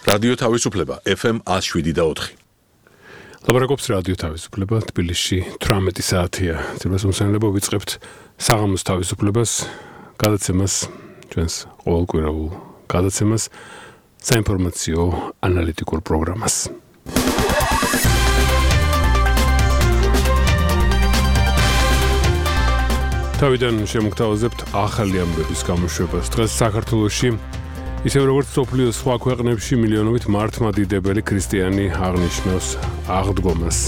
რადიო თავისუფლება FM 107.4. ლაპარაკობს რადიო თავისუფლება თბილისში 18 საათია. ძირფასმომსახურება ვიწყებთ საღამოს თავისუფლებას, გადაცემას, ჩვენს ყოველკვირეულ გადაცემას, საინფორმაციო ანალიტიკურ პროგრამას. თავიდან შემოგთავაზებთ ახალი ამბების გამოშვებას. დღეს საქართველოში ისევ როგორც სოფლიოს სხვა ქვეყნებში მილიონობით მართლმადიდებელი ქრისტიანი აღნიშნავს აღდგომას.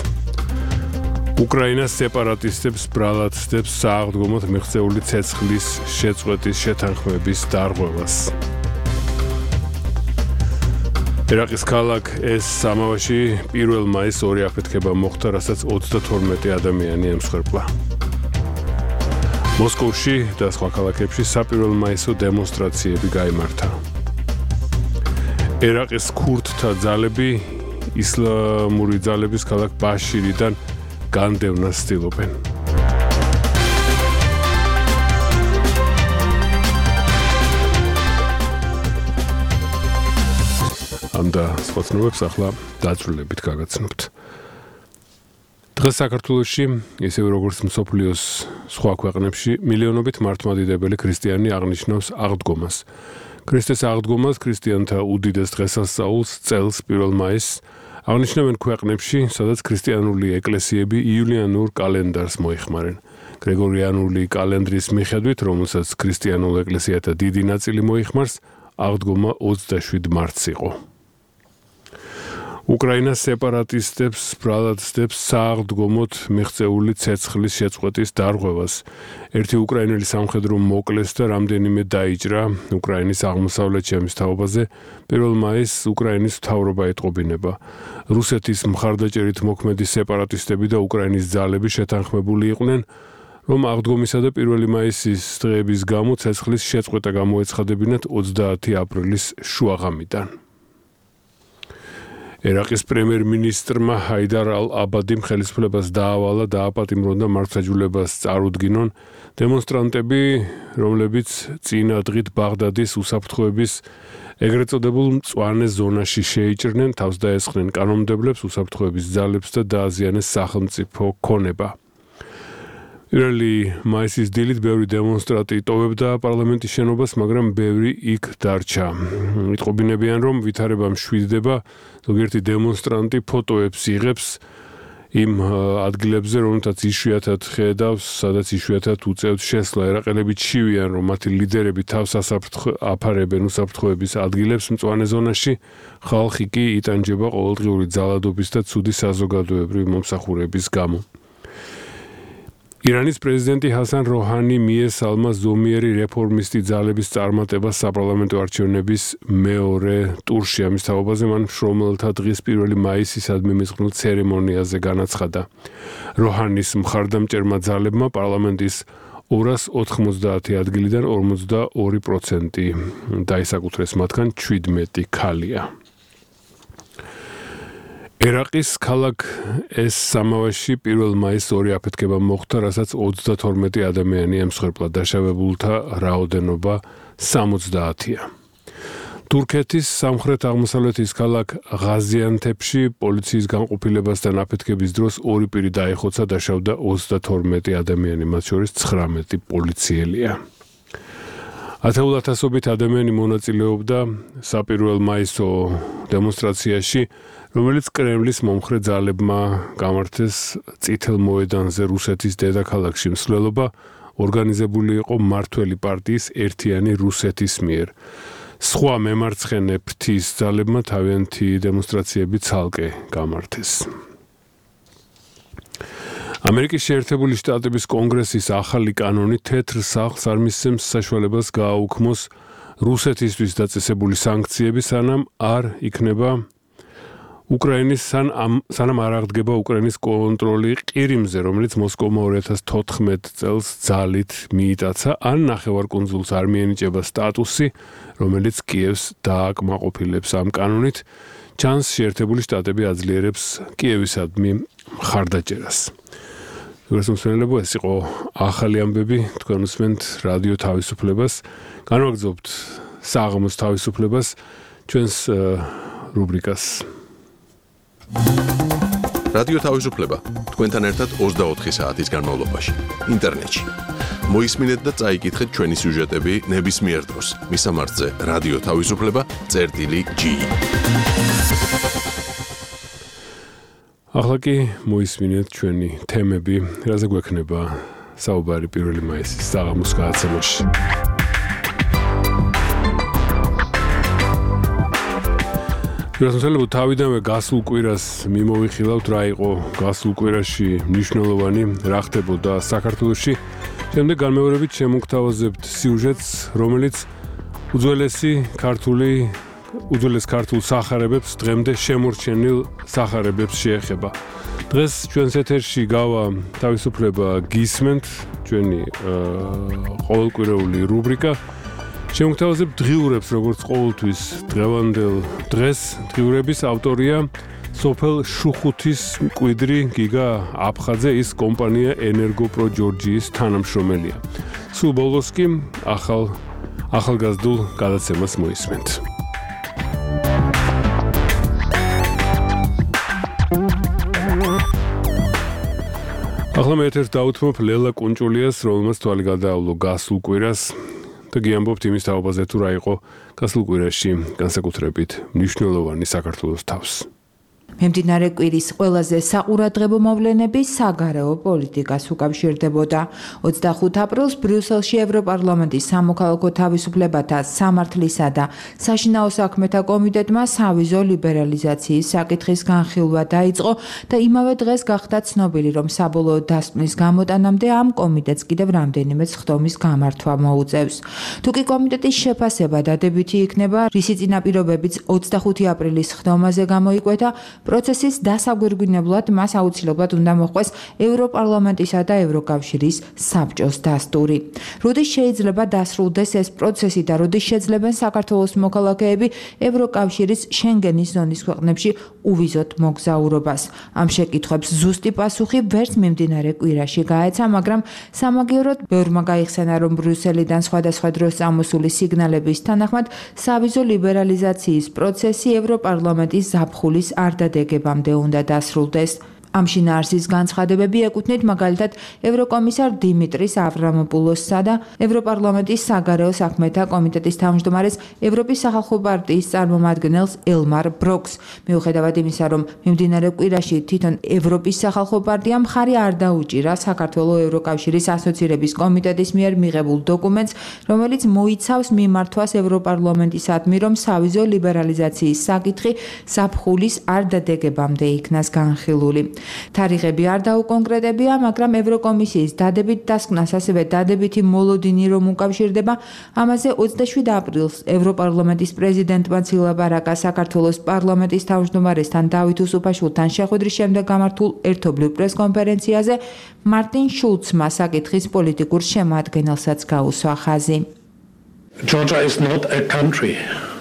უკრაინას სეპარატისტებს ბრალადებს სააღდგომოდ მიღწეული ცეცხლის შეწყვეტის შეთანხმების დარღვევას. ერაყის ქალაქ ეს-სამავაში 1 მაისს ორი აფეთქება მოხდა, რასაც 32 ადამიანი ემსხვერპლა. მოსკოვში და სხვა ქალაქებში საპირველო მაისო დემონსტრაციები გაიმართა. ერაყის ქურდთა ძალები ისლამური ძალების ქალაქ ბაშირიდან განდევნას ცდილობენ. ამ და სხვა ცნობებს ახლა დაწვრილებით გაგაცნობთ. დღეს საქართველოში, ისევ როგორც მსოფლიოს სხვა ქვეყნებში, მილიონობით მართლმადიდებელი ქრისტიანი აღნიშნავს აღდგომას. ქრისტეს აღდგომას ქრისტიანთა უდიდეს დღესასწაულს წელს 1 მაისს აღნიშნავენ ქვეყნებში, სადაც ქრისტიანული ეკლესიები იულიანურ კალენდარს მოიხმარენ. გრიგორიანული კალენდრის მიხედვით, რომელსაც ქრისტიანულ ეკლესიათა დიდი ნაწილი მოიხმარს, აღდგომა 27 მარტს იყო. უკრაინას სეპარატისტებს ბრალადებს სააღდგომოდ მიღწეული ცეცხლის შეწყვეტის დარღვევას. ერთი უკრაინელი სამხედრო მოკლეს და რამდენიმე დაიჭრა უკრაინის აღმოსავლეთ შემოსთავაზე. 1 მაისს უკრაინის მთავრობა ეტყობინება. რუსეთის მხარდაჭერით მოქმედი სეპარატისტები და უკრაინის ძალები შეთანხმებული იყვნენ, რომ აღდგომისა და 1 მაისის დღეების გამო ცეცხლის შეწყვეტა გამოეცხადებინათ 30 აპრილის შუაღამიდან. ერაყის პრემიერ-მინისტრმა ჰაიდარ ალ-აბადიმ ხელისუფლებას დაავალა და აპატიმრონ და მართლმსაჯულებას წარუდგინონ დემონსტრანტები, რომლებიც წინა დღით ბაღდადის უსაფრთხოების ეგრეთ წოდებულ მწვანე ზონაში შეიჭრნენ, თავს დაესხნენ კანონმდებლებს, უსაფრთხოების ძალებს და დააზიანეს სახელმწიფო ქონება. 1 მაისის დილით ბევრი დემონსტრანტი იტოვებდა პარლამენტის შენობას, მაგრამ ბევრი იქ დარჩა. იტყობინებიან, რომ ვითარება მშვიდდება, ზოგიერთი დემონსტრანტი ფოტოებს იღებს იმ ადგილებზე, რომელთაც იშვიათად ხედავს, სადაც იშვიათად უწევთ შესვლა. ერაყელები ჩივიან, რომ მათი ლიდერები თავს აფარებენ უსაფრთხოების ადგილებს მწვანე ზონაში, ხალხი კი იტანჯება ყოველდღიური ძალადობის და ცუდი საზოგადოებრივი მომსახურების გამო. ირანის პრეზიდენტი ჰასან როჰანი მიესალმა ზომიერი რეფორმისტი ძალების წარმატებას საპარლამენტო არჩევნების მეორე ტურში. ამის თაობაზე მან მშრომელთა დღის 1 მაისისადმი მისღვნილ ცერემონიაზე განაცხადა. როჰანის მხარდამჭერმა ძალებმა პარლამენტის 290 ადგილიდან 42% დაისაკუთრეს, მათგან 17 ქალია. ერაყის ქალაქ ეს-სამავაში 1 მაისს ორი აფეთქება მოხდა, რასაც 32 ადამიანი ემსხვერპლა. დაშავებულთა რაოდენობა 70-ია. თურქეთის სამხრეთ-აღმოსავლეთის ქალაქ ღაზიანთეპში პოლიციის განყოფილებასთან აფეთქების დროს ორი პირი დაეხოცა, დაშავდა 32 ადამიანი, მათ შორის 19 პოლიციელია. ათეულათასობით ადამიანი მონაწილეობდა საპირველო მაისო დემონსტრაციაში, რომელიც კრემლის მომხრე ძალებმა გამართეს წითელ მოედანზე რუსეთის დედაქალაქში. მსვლელობა ორგანიზებული იყო მმართველი პარტიის ერთიანი რუსეთის მიერ. სხვა მემარცხენე ფრთის ძალებმა თავიანთი დემონსტრაციები ცალკე გამართეს. ამერიკის შეერთებული შტატების კონგრესის ახალი კანონი თეთრ სახლს არ მისცემს საშუალებას გააუქმოს რუსეთისთვის დაწესებული სანქციები, სანამ არ იქნება უკრაინის სანამ არ აღდგება უკრაინის კონტროლი ყირიმზე, რომელიც მოსკოვმა 2014 წელს ძალით მიიტაცა, ან ნახევარკუნძულს არ მიენიჭება სტატუსი, რომელიც კიევს დააკმაყოფილებს. ამ კანონით ჩანს შეერთებული შტატები აძლიერებს კიევისადმი მხარდაჭერას. გასასვლელებო ეს იყო ახალი ამბები, თქვენ უსმენთ რადიო თავისუფლებას, განვაგრძობთ საღამოს თავისუფლებას, ჩვენს რუბრიკას. რადიო თავისუფლება თქვენთან ერთად 24 საათის განმავლობაში ინტერნეტში. მოისმინეთ და წაიკითხეთ ჩვენი სიუჟეტები ნებისმიერ დროს. მისამართზე რადიო თავისუფლება.gi. ახლა კი მოისმინეთ ჩვენი თემები, რაზე გვექნება საუბარი 1 მაისის საღამოს გადაცემაში. რასაძლოა თავიდანვე გასულ კვირას მიმოვიხილავთ რა იყო გასულ კვირაში მნიშვნელოვანი, რა ხდებოდა საქართველოში. შემდეგ განმეორებით შემოგთავაზებთ სიუჟეტს, რომელიც უძველეს ქართულ სახარებებს დღემდე შემორჩენილ სახარებებს შეეხება. დღეს ჩვენს ეთერში გავა თავისუფლება გისმენთ, ჩვენი ყოველკვირეული რუბრიკა. შემოგთავაზებთ დღიურებს, როგორც ყოველთვის დღევანდელ დღეს. დღიურების ავტორია სოფელ შუხუთის მკვიდრი გიგა აფხაძე, ის კომპანია ენერგოპრო ჯორჯიის თანამშრომელია. სულ ბოლოს კი ახალგაზრდულ გადაცემას მოისმენთ. ახლა მე ეთერს დავუთმობ ლელა კუნჭულიას, რომელმაც თვალი გადაავლო გასულ კვირას და გიამბობთ იმის თაობაზე თუ რა იყო გასულ კვირაში განსაკუთრებით მნიშვნელოვანი საქართველოს თავს. Მიმდინარე კვირის ყველაზე საყურადღებო მოვლენები საგარეო პოლიტიკას უკავშირდებოდა. 25 აპრილს ბრიუსელში ევროპარლამენტის სამოქალაქო თავისუფლებათა, სამართლისა და საშინაო საქმეთა კომიტეტმა სავიზო ლიბერალიზაციის საკითხის განხილვა დაიწყო და იმავე დღეს გახდა ცნობილი, რომ საბოლოო დასკვნის გამოტანამდე ამ კომიტეტს კიდევ რამდენიმე ხდომის გამართვა მოუწევს. თუკი კომიტეტის შეფასება დადებითი იქნება, რისი წინაპირობებიც 25 აპრილის ხდომაზე გამოიკვეთა, პროცესის დასაგვირგვინებლად მას აუცილებლად უნდა მოხვდეს ევროპარლამენტისა და ევროკავშირის საბჭოს დასტური. როდის შეიძლება დასრულდეს ეს პროცესი და როდის შეძლებენ საქართველოს მოქალაქეები ევროკავშირის შენგენის ზონის ქვეყნებში უვიზოთ მოგზაურობას? ამ შეკითხვებს ზუსტი პასუხი ვერც მიმდინარე კვირაში გაეცა, მაგრამ სამაგიეროდ ბევრმა გაიხსენა, რომ ბრიუსელიდან სხვადასხვა დროს წამოსული სიგნალების თანახმად სავიზო ლიბერალიზაციის პროცესი ევროპარლამენტის ზაფხულის არ დეგებამდე უნდა დასრულდეს. ამ შინაარსის განცხადებები ეკუთვნით მაგალითად ევროკომისარ დიმიტრის ავრამოპულოსსა და ევროპარლამენტის საგარეო საქმეთა კომიტეტის თავმჯდომარეს ევროპის სახალხო პარტიის წარმომადგენელს ელმარ ბროკს. მიუხედავად იმისა, რომ მიმდინარე კვირაში თვითონ ევროპის სახალხო პარტიამ მხარი არ დაუჭირა საქართველოს ევროკავშირის ასოცირების კომიტეტის მიერ მიღებულ დოკუმენტს, რომელიც მოიცავს მიმართვას ევროპარლამენტისადმი, რომ სავიზო ლიბერალიზაციის საკითხი ზაფხულის არ დადეგებამდე იქნას განხილული. თარიღები არ დაუკონკრეტებია, მაგრამ ევროკომისიის დადებით დასკვნას, ასევე დადებითი მოლოდინი რომ უკავშირდება, ამაზე 27 აპრილს ევროპარლამენტის პრეზიდენტმა ცილაბარაკა საქართველოს პარლამენტის თავმჯდომარესთან დავით უსუფაშვილთან შეხვედრის შემდეგ გამართულ ერთობლივ პრესკონფერენციაზე მარტინ შულცმა საკითხის პოლიტიკურ შემადგენელსაც გაუსვა ხაზი. Georgia is not a country.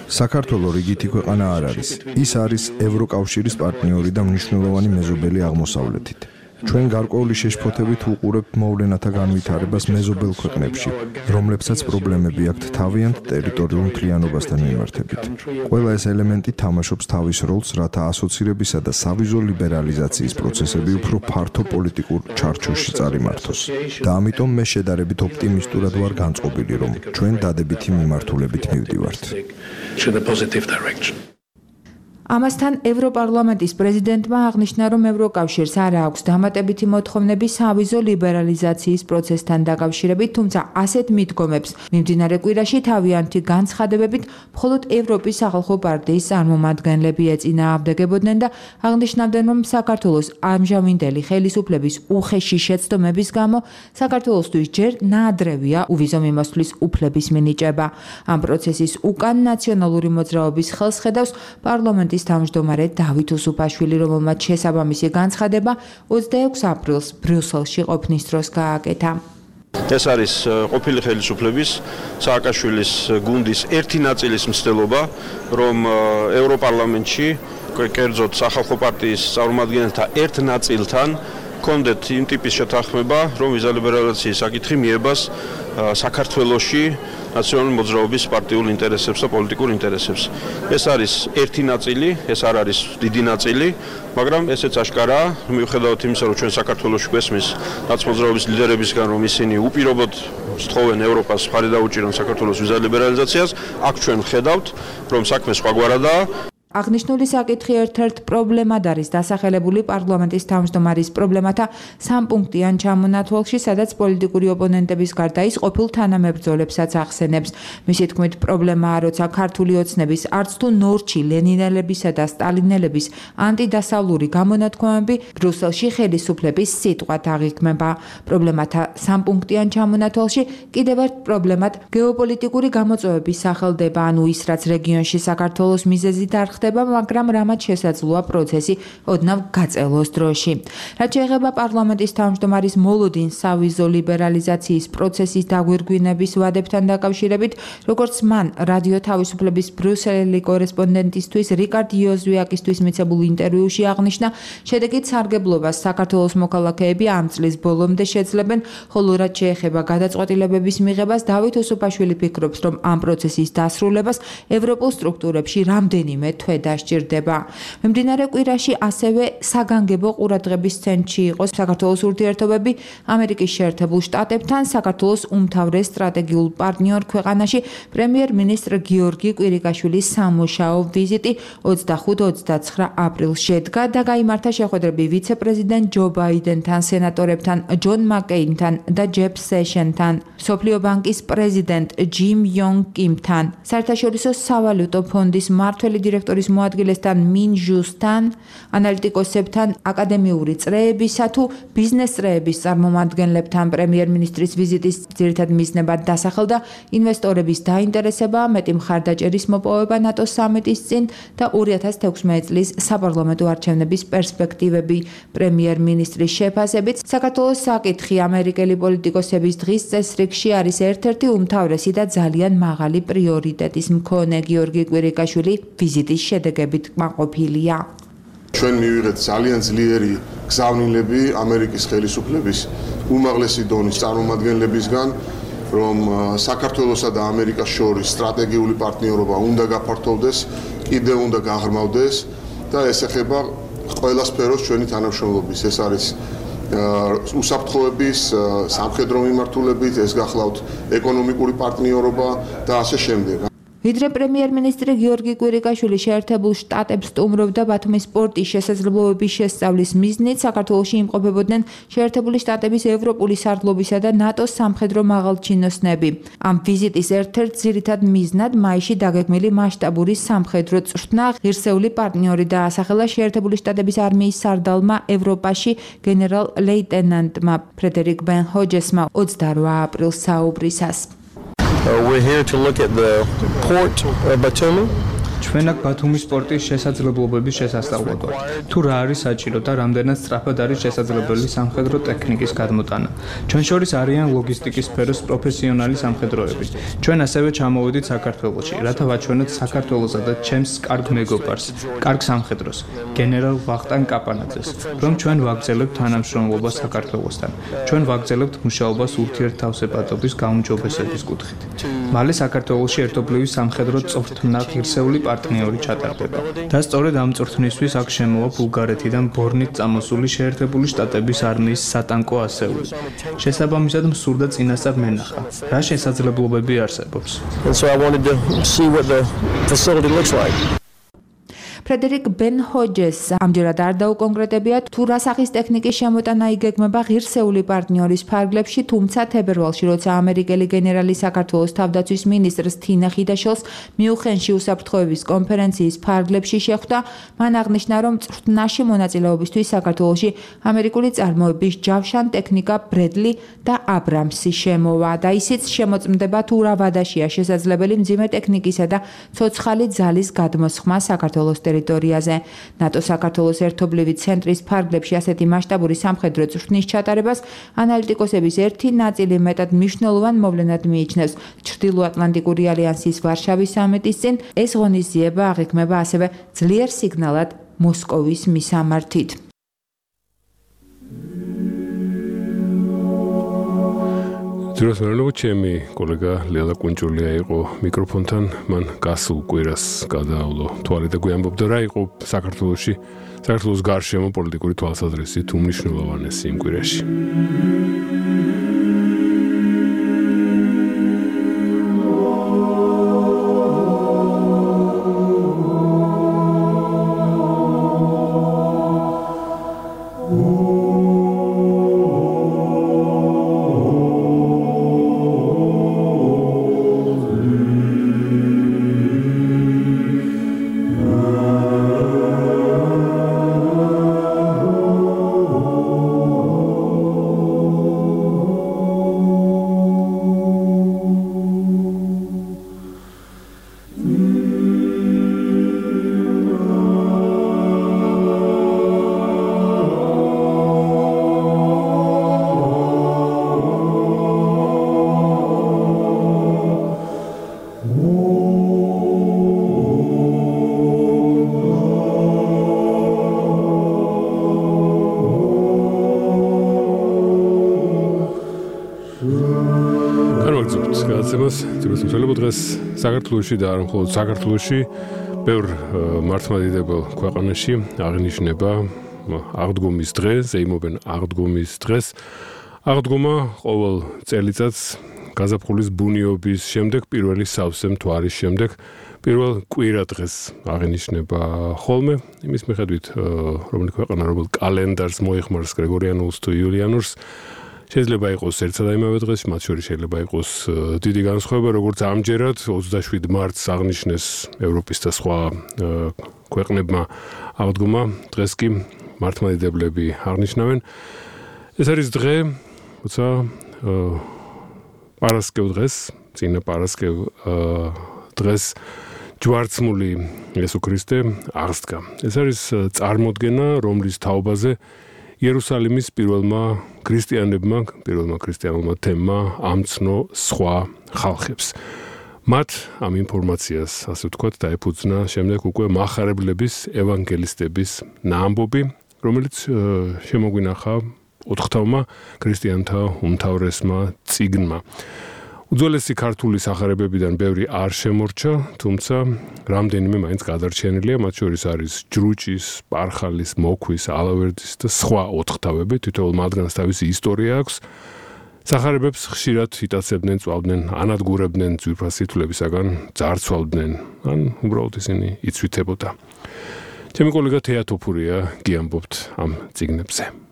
საქართველოს რიგითი ქვეყანა არ არის. ის არის ევროკავშირის პარტნიორი და მნიშვნელოვანი მეზობელი აღმოსავლეთით. ჩვენ გარკვეული შეშფოთებით უყურებთ მოვლენათა განვითარებას მეზობელ ქვეყნებში, რომლებსაც პრობლემები აქვთ თავიანთ ტერიტორიულ მთლიანობასთან მიმართებით. ყველა ეს ელემენტი თამაშობს თავის როლს, რათა ასოცირებისა და სავიზო ლიბერალიზაციის პროცესები უფრო ფართო პოლიტიკურ ჩარჩოში წარიმართოს. და ამიტომ მე შედარებით ოპტიმისტურად ვარ განწყობილი, რომ ჩვენ დადებითი მიმართულებით მივდივართ. ამასთან ევროპარლამენტის პრეზიდენტმა აღნიშნა, რომ ევროკავშირს არ აქვს დამატებითი მოთხოვნები სავიზო ლიბერალიზაციის პროცესთან დაკავშირებით, თუმცა ასეთ მიდგომებს მიმდინარე კვირაში თავიანთი განცხადებებით მხოლოდ ევროპის სახალხო პარტიის წარმომადგენლები ეწინააღმდეგებოდნენ და აღნიშნავდნენ, რომ საქართველოს ამჟამინდელი ხელისუფლების უხეში შეცდომების გამო საქართველოსთვის ჯერ ნაადრევია უვიზო მიმოსვლის უფლების მინიჭება. ამ პროცესის უკან ნაციონალური მოძრაობის ხელს ხედავს პარლამენტის თავმჯდომარე დავით უსუფაშვილი, რომელმაც შესაბამისი განცხადება 26 აპრილს ბრიუსელში ყოფნის დროს გააკეთა. ეს არის ყოფილი ხელისუფლების სააკაშვილის გუნდის ერთი ნაწილის მცდელობა, რომ ევროპარლამენტში კერძოდ სახალხო პარტიის წარმომადგენელთა ერთ ნაწილთან კონდეთ იმ ტიპის შეთანხმება, რომ ვიზალიბერალიზაციის საკითხი მიებას საქართველოში ნაციონალური მოძრაობის პარტიულ ინტერესებს და პოლიტიკურ ინტერესებს. ეს არის ერთი ნაწილი, ეს არ არის დიდი ნაწილი, მაგრამ ესეც აშკარაა, მიუხედავად იმისა, რომ ჩვენ საქართველოში გვესმის ნაცმოძრაობის ლიდერებისგან, რომ ისინი უპირობოდ სთხოვენ ევროპას მხარი დაუჭირონ საქართველოს ვიზალიბერალიზაციას, აქ ჩვენ ხედავთ, რომ საქმე სხვაგვარადაა. აღნიშნული საკითხი ერთ-ერთ პრობლემად არის დასახელებული პარლამენტის თავმჯდომარის პრობლემათა სამპუნქტიან ჩამონათვალში, სადაც პოლიტიკური ოპონენტების გარდა ის ყოფილ თანამებრძოლებსაც ახსენებს. მისი თქმით, პრობლემაა, როცა ქართული ოცნების არც თუ ნორჩი ლენინელებისა და სტალინელების ანტიდასავლური გამონათქვამები ბრიუსელში ხელისუფლების სიტყვად აღიქმება. პრობლემათა სამპუნქტიან ჩამონათვალში კიდევ ერთ პრობლემად გეოპოლიტიკური გამოწვევების სახელდება, ანუ ის, რაც რეგიონში საქართველოს მიზეზი დარხდება, მაგრამ რამაც შესაძლოა პროცესი ოდნავ გაწელოს დროში. რაც შეეხება პარლამენტის თავმჯდომარის მოლოდინს სავიზო ლიბერალიზაციის პროცესის დაგვირგვინების ვადებთან დაკავშირებით, როგორც მან რადიო თავისუფლების ბრიუსელელი კორესპონდენტისთვის რიკარდ იოზვიაკისთვის მიცემულ ინტერვიუში აღნიშნა, შედეგით სარგებლობას საქართველოს მოქალაქეები ამ წლის ბოლომდე შეძლებენ, ხოლო რაც შეეხება გადაწყვეტილებების მიღებას, დავით უსუფაშვილი ფიქრობს, რომ ამ პროცესის დასრულებას ევროპულ სტრუქტურებში რამდენიმე თვე დასჭირდება. მიმდინარე კვირაში ასევე საგანგებო ყურადღების ცენტრში იყო საქართველოს ურთიერთობები ამერიკის შეერთებულ შტატებთან, საქართველოს უმთავრეს სტრატეგიულ პარტნიორ ქვეყანაში პრემიერ-მინისტრ გიორგი კვირიკაშვილის სამუშაო ვიზიტი 25-29 აპრილს შედგა და გაიმართა შეხვედრები ვიცე-პრეზიდენტ ჯო ბაიდენთან, სენატორებთან ჯონ მაკეინთან და ჯეფ სეშენთან, მსოფლიო ბანკის პრეზიდენტ ჯიმ იონგ კიმთან, საერთაშორისო სავალუტო ფონდის მმართველი დირექტორის მოადგილესთან მინ ჟუსთან, ანალიტიკოსებთან, აკადემიური წრეებისა თუ ბიზნეს წრეების წარმომადგენლებთან. პრემიერ-მინისტრის ვიზიტის ძირითად მიზნებად დასახელდა ინვესტორების დაინტერესება, მეტი მხარდაჭერის მოპოვება ნატოს სამიტის წინ და 2016 წლის საპარლამენტო არჩევნების პერსპექტივები. პრემიერ-მინისტრის შეფასებით, საქართველოს საკითხი ამერიკელი პოლიტიკოსების დღის წესრიგში არის ერთ-ერთი უმთავრესი და ძალიან მაღალი პრიორიტეტის მქონე. გიორგი კვირიკაშვილი ვიზიტის შედეგებით კმაყოფილია. ჩვენ მივიღეთ ძალიან ძლიერი გზავნილები ამერიკის ხელისუფლების უმაღლესი დონის წარმომადგენლებისგან, რომ საქართველოსა და ამერიკას შორის სტრატეგიული პარტნიორობა უნდა გაფართოვდეს, კიდევ უნდა გაღრმავდეს და ეს ეხება ყველა სფეროს ჩვენი თანამშრომლობის. ეს არის უსაფრთხოების, სამხედრო მიმართულებით, ეს გახლავთ ეკონომიკური პარტნიორობა და ასე შემდეგ. ვიდრე პრემიერ-მინისტრი გიორგი კვირიკაშვილი შეერთებულ შტატებს სტუმრობდა ბათუმის პორტის შესაძლებლობების შესწავლის მიზნით, საქართველოში იმყოფებოდნენ შეერთებული შტატების ევროპული სარდლობისა და ნატოს სამხედრო მაღალჩინოსნები. ამ ვიზიტის ერთ-ერთ ძირითად მიზნად მაისში დაგეგმილი მასშტაბური სამხედრო წვრთნა ღირსეული პარტნიორი დაასახელა შეერთებული შტატების არმიის სარდალმა ევროპაში გენერალ-ლეიტენანტმა ფრედერიკ ბენ ჰოჯესმა 28 აპრილს საუბრისას. We're here to look at the port of Batumi. ჩვენ აქ ბათუმის პორტის შესაძლებლობების შესასწავლად ვართ. თუ რა არის საჭირო და რამდენად სწრაფად არის შესაძლებელი სამხედრო ტექნიკის გადმოტანა. ჩვენ შორის არიან ლოგისტიკის სფეროს პროფესიონალი სამხედროები. ჩვენ ასევე ჩამოვედით საქართველოში, რათა ვაჩვენოთ საქართველოსა და ჩემს კარგ მეგობარს, კარგ სამხედროს, გენერალ ვახტანგ კაპანაძეს, რომ ჩვენ ვაგრძელებთ თანამშრომლობას საქართველოსთან. ჩვენ ვაგრძელებთ მუშაობას ურთიერთთავსებადობის გაუმჯობესების კუთხით. მალე საქართველოში ერთობლივი სამხედრო წვრთნა ღირსეული პარტნიორი ჩატარდება. და სწორედ ამ წვრთნისთვის აქ შემოვა ბულგარეთიდან ბორნით წამოსული შეერთებული შტატების არმიის სატანკო ასეული. შესაბამისად მსურდა წინასწარ მენახა, რა შესაძლებლობები არსებობს. And so I wanted to see what the facility looks like. ფრედერიკ ბენ ჰოჯეს ამჯერად არ დაუკონკრეტებია თუ რა სახის ტექნიკის შემოტანა იგეგმება ღირსეული პარტნიორის ფარგლებში, თუმცა თებერვალში, როცა ამერიკელი გენერალი საქართველოს თავდაცვის მინისტრს თინა ხიდაშელს მიუნხენში უსაფრთხოების კონფერენციის ფარგლებში შეხვდა, მან აღნიშნა, რომ წვრთნაში მონაწილეობისთვის საქართველოში ამერიკული წარმოების ჯავშან ტექნიკა ბრედლი და აბრამსი შემოვა და ისიც შემოწმდება თუ რა ვადაშია შესაძლებელი მძიმე ტექნიკისა და ცოცხალი ძალის გადმოსხმა საქართველოს ტერიტორიაზე. ნატო საქართველოს ერთობლივი ცენტრის ფარგლებში ასეთი მასშტაბური სამხედრო წვრთნის ჩატარებას ანალიტიკოსების ერთი ნაწილი მეტად მნიშვნელოვან მოვლენად მიიჩნევს. ჩრდილოატლანტიკური ალიანსის ვარშავის სამიტის წინ ეს ღონისძიება აღიქმება ასევე ძლიერ სიგნალად მოსკოვის მისამართით. ძიროს მერლო ჩემი კოლეგა ლელა კუნჭულია იყო მიკროფონთან, მან გასულ კვირას გადაავლო თვალი და გვიამბობდა რა იყო საქართველოს გარშემო პოლიტიკური თვალსაზრისით უმნიშვნელოვანესი იმ კვირაში. საქართველოში და არ მხოლოდ საქართველოში ბევრ მართლმადიდებელ ქვეყანაში აღნიშნება აღდგომის დღე, ზეიმობენ აღდგომის დღეს. აღდგომა ყოველ წელიწადს გაზაფხულის ბუნიობის შემდეგ, პირველი სავსე მთვარის შემდეგ, პირველ კვირა დღეს აღნიშნება ხოლმე. იმის მიხედვით, რომელი ქვეყანა რომელ კალენდარს მოიხმარს გრეგორიანულს თუ იულიანურს, შეიძლება იყოს ერთსა და იმავე დღეს, მათ შორის შეიძლება იყოს დიდი განსხვავება, როგორც ამჯერად 27 მარტს აღნიშნეს ევროპის და სხვა ქვეყნებმა აღდგომა, დღეს კი მართლმადიდებლები აღნიშნავენ. ეს არის დღე, როცა პარასკევ დღეს, წინა პარასკევ დღეს ჯვარცმული იესო ქრისტე აღსდგა. ეს არის წარმოდგენა, რომლის თაობაზე იერუსალიმის პირველმა ქრისტიანულმა თემმა ამცნო სხვა ხალხებს. მათ ამ ინფორმაციას, ასე ვთქვათ, დაეფუძნა შემდეგ უკვე მახარებლების, ევანგელისტების ნაამბობი, რომელიც შემოგვინახა ოთხთავმა ქრისტიანთა უმთავრესმა წიგნმა. უძველესი ქართული სახარებებიდან ბევრი არ შემორჩა, თუმცა რამდენიმე მაინც გადარჩენილია, მათ შორის არის ჯრუჭის, პარხალის, მოქვის, ალავერდის და სხვა ოთხთავები, თითოეულ მათგანს თავისი ისტორია აქვს. სახარებებს ხშირად იტაცებდნენ, წვავდნენ, ანადგურებდნენ ძვირფასითვლებისაგან, ძარცვალდნენ, ან უბრალოდ ისინი იცვითებოდა. ჩემი კოლეგა თეატოფურია გიამბობთ ამ წიგნებზე.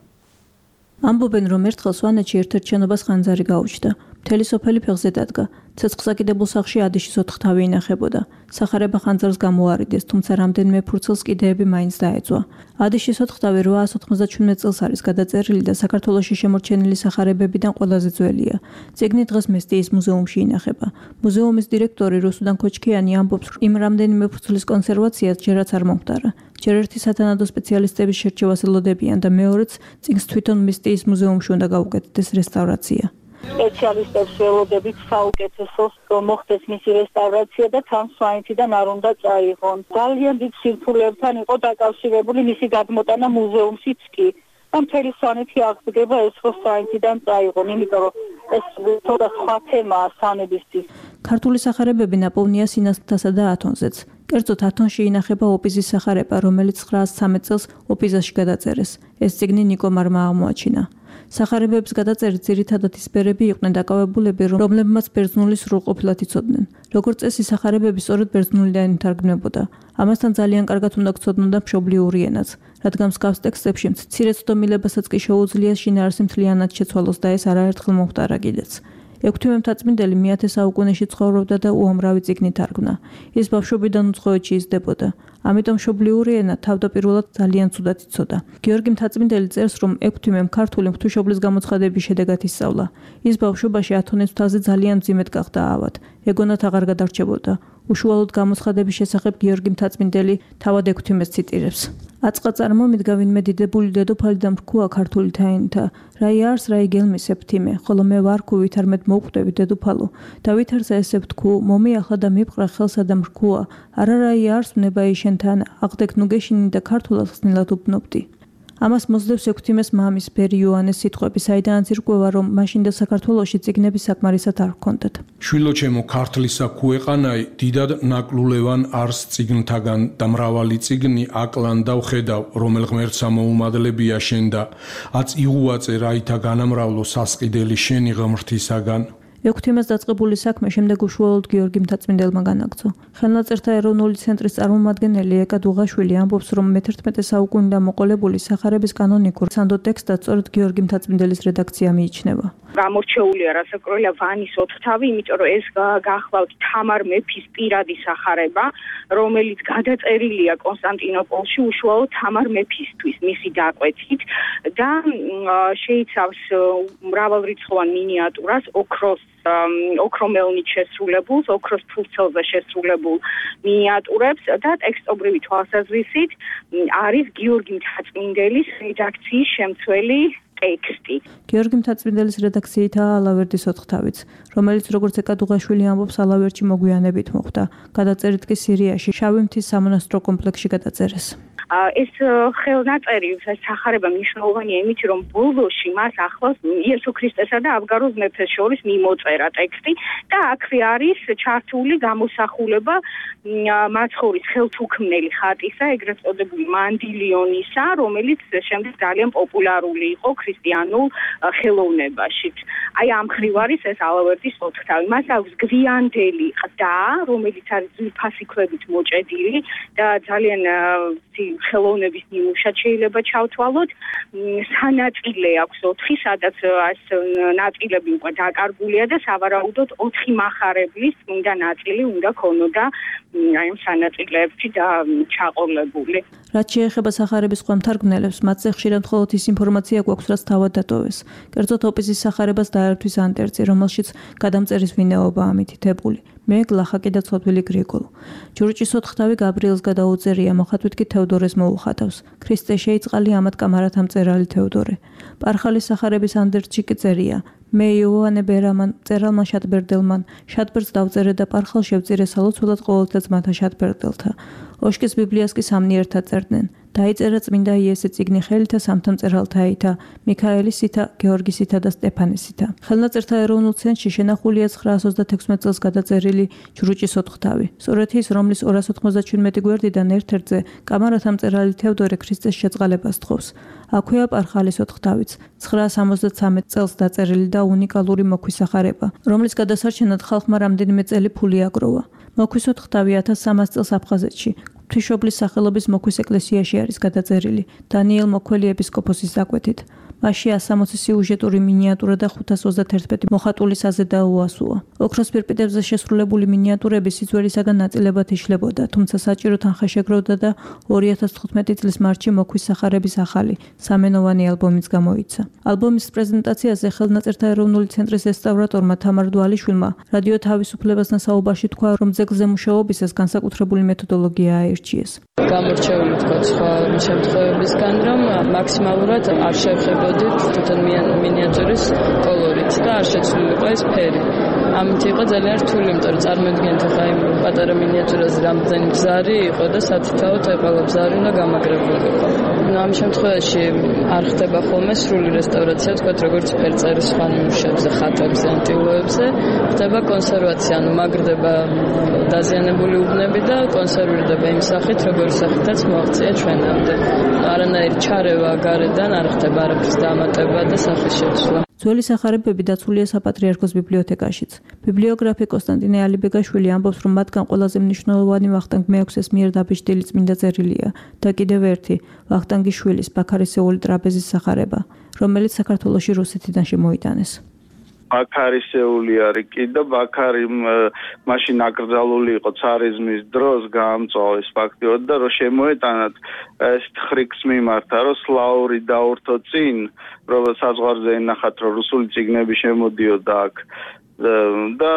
ამბობენ, რომ ერთხელ სვანეთში ერთ-ერთ შენობას ხანძარი გაუჩნდა. მთელი სოფელი ფეხზე დადგა. ცეცხლსაკიდებულ სახლში ადიშის ოთხთავი ინახებოდა. სახარება ხანძარს გამოარიდეს, თუმცა რამდენიმე ფურცელს კიდეები მაინც დაეწვა. ადიშის ოთხთავი 897 წელს არის გადაწერილი და საქართველოში შემორჩენილი სახარებებიდან ყველაზე ძველია. წიგნი დღეს მესტიის მუზეუმში ინახება. მუზეუმის დირექტორი რუსუდან ქოჩქიანი ამბობს, რომ იმ რამდენიმე ფურცლის კონსერვაციას ჯერაც არ მომხდარა. ჯერ ერთი სათანადო სპეციალისტების შერჩევას ელოდებიან და მეორეც წიგნს თვითონ მესტიის მუზეუმში უნდა გაუკეთდეს რესტავრაცია. სპეციალისტებს ველოდებით საუკეთესოს მოხდეს მისი რესტავრაცია და თან სვანეთიდან არ უნდა წაიღონ. ძალიან დიდ სირთულეებთან იყო დაკავშირებული მისი გადმოტანა მუზეუმშიც კი. და მთელი სვანეთი აღდგება ეს ხო სვანეთიდან წაიღონ, იმიტომ რომ ეს თორე სხვა თემაა სვანებისთვის. ქართული სახარებები ნაპოვნია სინასთასა და ათონზეც. კერძოდ ათონში ინახება ოპიზის სახარება, რომელიც 913 წელს ოპიზაში გადაწერეს. ეს წიგნი ნიკომარმა აღმოაჩინა. სახარებების გადაწერით ძირითადად ისპერები იყვნენ დაკავებულები, რომლებმაც ბერძნული სრულყოფილად იცოდნენ. როგორც წესი, სახარებები სწორედ ბერძნულიდან ითარგმნებოდა. ამასთან ძალიან კარგად უნდა გცოდნოდა მშობლიური ენაც, რადგან მსგავს ტექსტებში მცირე ცდომილებასაც კი შეუძლია შინაარსი მთლიანად შეცვალოს და ეს არაერთხელ მომხდარა კიდეც. ექვთიმე მთაწმინდელი მე-10 საუკუნეში ცხოვრობდა და უამრავი წიგნი თარგმნა. ის ბავშვობიდან უცხოეთში იზრდებოდა. ამიტომ მშობლიური ენა თავდაპირველად ძალიან ცუდად იცოდა. გიორგი მთაწმინდელი წერს, რომ ექვთიმემ ქართული ღვთისმშობლის გამოცხადების შედეგად ისწავლა. ის ბავშვობაში ათონის მთაზე ძალიან მძიმედ გახდა ავად. ეგონათ აღარ გადარჩებოდა. უშუალოდ გამოცხადების შესახებ გიორგი მთაწმინდელი თავად ექვთიმეს ციტირებს. აწყა წარმომიდგა ვინმე დიდებული დედოფალი და მრქუა ქართული თაინთა. რა იარს რა იგელმის ეფთიმე, ხოლო მე ვარქუ ვითარმედ მოვკვდები დედოფალო. და ვითარცა ესე ვთქუ, მომიახლა და მიფყრა ხელსა და მრქუა. არა რა იარს ვნება იშენთან, აღდეკ ნუ გეშინი და ქართულად ხსნილად უბნობდი. ამას მოსდევს ექვთიმეს მამის ბერი იოანეს სიტყვები, საიდანაც ირკვევა, რომ მაშინდელ საქართველოში წიგნები საკმარისად არ ჰქონდათ. შვილოჩემო ქართლისა ქუეყანაი დიდად ნაკლულევან არს წიგნთაგან და მრავალი წიგნი აკლან და ვხედავ, რომელ ღმერთსა მოუმადლებია შენ და აც იღუაწე რაითა განამრავლო სასყიდელი შენი ღმრთისაგან. ექვთიმეს დაწყებული საქმე შემდეგ უშუალოდ გიორგი მთაწმინდელმა განაგრძო. ხელნაწერთა ეროვნული ცენტრის წარმომადგენელი ეკა დუღაშვილი ამბობს, რომ მე-11 საუკუნიდან მოყოლებული სახარების კანონიკურ სანდო ტექსტად სწორედ გიორგი მთაწმინდელის რედაქცია მიიჩნევა. გამორჩეულია რასაკვირველია ვანის ოთხთავი, იმიტომ რომ ეს გახლავთ თამარ მეფის პირადი სახარება, რომელიც გადაწერილია კონსტანტინოპოლში უშუალოდ თამარ მეფისთვის მისი დაკვეთით და შეიცავს მრავალრიცხოვან მინიატურას ოქრომელნით შესრულებულს, ოქროს ფურცელზე შესრულებულ მინიატურებს და ტექსტობრივი თვალსაზრისით არის გიორგი მთაწმინდელის რედაქციის შემცველი ტექსტი. გიორგი მთაწმინდელის რედაქციითაა ალავერდის ოთხთავიც, რომელიც როგორც ეკა დუღაშვილი ამბობს, ალავერდში მოგვიანებით მოხვდა. გადაწერით კი სირიაში, შავი მთის სამონასტრო კომპლექსში გადაწერეს. ეს ხელნაწერი სახარება მნიშვნელოვანია იმით, რომ ბოლოში მას ახლავს იესო ქრისტესა და აბგაროს მეფეს შორის მიმოწერა ტექსტი და აქვე არის ჩართული გამოსახულება მაცხოვრის ხელთუქმნელი ხატისა, ეგრეთ წოდებული მანდილიონისა, რომელიც შემდეგ ძალიან პოპულარული იყო ქრისტიანულ ხელოვნებაში. აი ამ ხრივ არის ეს ალავერდის ოთხთავი. მას აქვს გვიანდელი ყდა, რომელიც არის ძვირფასი ქვებით მოჭედილი და ძალიან ხელოვნების ნიმუშად შეიძლება ჩავთვალოთ. სანაწილე აქვს 4, სადაც ეს ნაწილები უკვე დაკარგულია და სავარაუდოდ 4 მახარებლის წმინდა ნაწილი უნდა ქონოდა აი ამ სანაწილეებში და ჩაყოლებული. რაც შეეხება სახარების სხვა მთარგმნელებს, მათზე ხშირად მხოლოდ ის ინფორმაცია გვაქვს, რაც თავად დატოვეს. კერძოდ ოპიზის სახარებას დაერთვის ანტერცი, რომელშიც გადამწერის ვინაობაა მითითებული. მე გლახაკი და ცოდვილი გრიგოლ. ჯურჭის ოთხთავი გაბრიელს გადაუწერია, მოხატვით კი თევდორეს მოუხატავს. ქრისტე შეიწყალი ამათ კამარათა მწერალი თევდორე. პარხალის სახარების ანდერჩი კი წერია. მე იოანე ბერამან წერალმა შატბერდელმან შატბერდს დავწერე და პარხალ შევწირე სალოცველად ყოველთა ძმათა შატბერდელთა. ოშკის ბიბლიას კი სამნი ერთად წერდნენ. დაიწერა წმინდა იესე წიგნი ხელითა სამთა მწერალთაითა, მიქაელისითა, გეორგისითა და სტეფანესითა. ხელნაწერთა ეროვნულ ცენტრში შენახულია 936 წელს გადაწერილი ჯრუჭის ოთხთავი. სწორედ ის, რომლის 297 გვერდიდან ერთ-ერთზე კამარათა მწერალი თევდორე ქრისტეს შეწყალებას თხოვს. აქვეა პარხალის ოთხთავიც, 963 წელს დაწერილი და უნიკალური მოქვის სახარება, რომლის გადასარჩენად ხალხმა რამდენიმე წელი ფული აგროვა. მოქვის ოთხთავი 1300 წელს აფხაზეთში ღვთისმშობლის სახელობის მოქვის ეკლესიაში არის გადაწერილი დანიელ მოქველი ეპისკოპოსის დაკვეთით. მასში 160 სიუჟეტური მინიატურა და 521 მოხატული საზედაო უასუა. ოქროს პირპიტებზე შესრულებული მინიატურები სიძველისაგან ნაწილებად იშლებოდა, თუმცა საჭირო თანხა შეგროვდა და 2015 წლის მარტში მოქვის სახარების ახალი, სამენოვანი ალბომიც გამოიცა. ალბომის პრეზენტაციაზე ხელნაწერთა ეროვნული ცენტრის რესტავრატორმა თამარ დვალიშვილმა რადიო თავისუფლებასთან საუბარში თქვა, რომ ძეგლზე მუშაობისას განსაკუთრებული მეთოდოლოგია აირჩიეს. გამორჩეული თქვა სხვა შემთხვევებისგან, რომ მაქსიმალურად არ შევხედოდით თვითონ მინიატურის კოლორით და არ შეცვლილიყო ეს ფერი. ამით იყო ძალიან რთული, იმიტომ რომ წარმოიდგინეთ ახლა იმ პატარა მინიატურაზე რამდენი ბზარი იყო და სათითაოდ ყველა ბზარი უნდა გამაგრებულიყო. ამ შემთხვევაში არ ხდება ხოლმე სრული რესტავრაცია, თქვათ როგორც ფერწერის სხვა ნიმუშებზე, ხატებზე, ანტილოებზე, ხდება კონსერვაცია, ანუ მაგრდება დაზიანებული უბნები და კონსერვირდება იმ სახით, როგორი სახითაც მოაღწია ჩვენამდე. არანაირი ჩარევა გარედან არ ხდება არაფრის დამატება და სახის შეცვლა. ძველი სახარებები დაცულია საპატრიარქოს ბიბლიოთეკაშიც. ბიბლიოგრაფი კონსტანტინე ალიბეგაშვილი ამბობს, რომ მათგან ყველაზე მნიშვნელოვანი ვახტანგ მეექვსეს მიერ დაბეჭდილი წმინდა წერილია და კიდევ ერთი ვახტანგის შვილის ბაქარისეული ტრაპეზის სახარება, რომელიც საქართველოში რუსეთიდან შემოიტანეს. ბაქარისეული არის კი და ბაქარი მაშინ აკრძალული იყო ცარიზმის დროს, გაამწვავეს ფაქტიურად და რომ შემოეტანათ ეს ხრიქს მიმართა, რომ სლაური დაურთო წინ, რომ საზღვარზე ენახათ, რომ რუსული წიგნები შემოდიოდა აქ და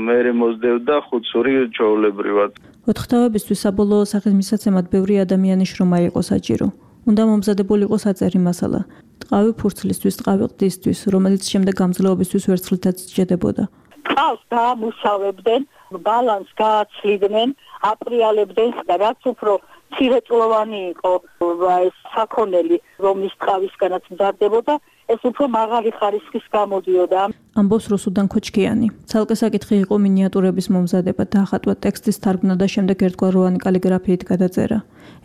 მერე მოსდევდა ხუცური ჩვეულებრივად. ოთხთავებისთვის საბოლოო სახის მისაცემად ბევრი ადამიანის შრომა იყო საჭირო. უნდა მომზადებულიყო საწერი მასალა. ტყავი ფურცლისთვის, ტყავი ყდისთვის, რომელიც შემდეგ გამძლეობისთვის ვერცხლითაც სჭედებოდა. ტყავს დაამუშავებდნენ, ბალანს გააცლიდნენ, აპრიალებდნენ და რაც უფრო მცირეწლოვანი იყო ეს საქონელი, რომლის ტყავისგანაც მზადდებოდა, ეს უფრო მაღალი ხარისხის გამოდიოდა. ამბობს რუსუდან ქოჩქიანი. ცალკე საკითხი იყო მინიატურების მომზადება, დაახატვა ტექსტის თარგმნა და შემდეგ ერთგვაროვანი კალიგრაფიით გადაწერა.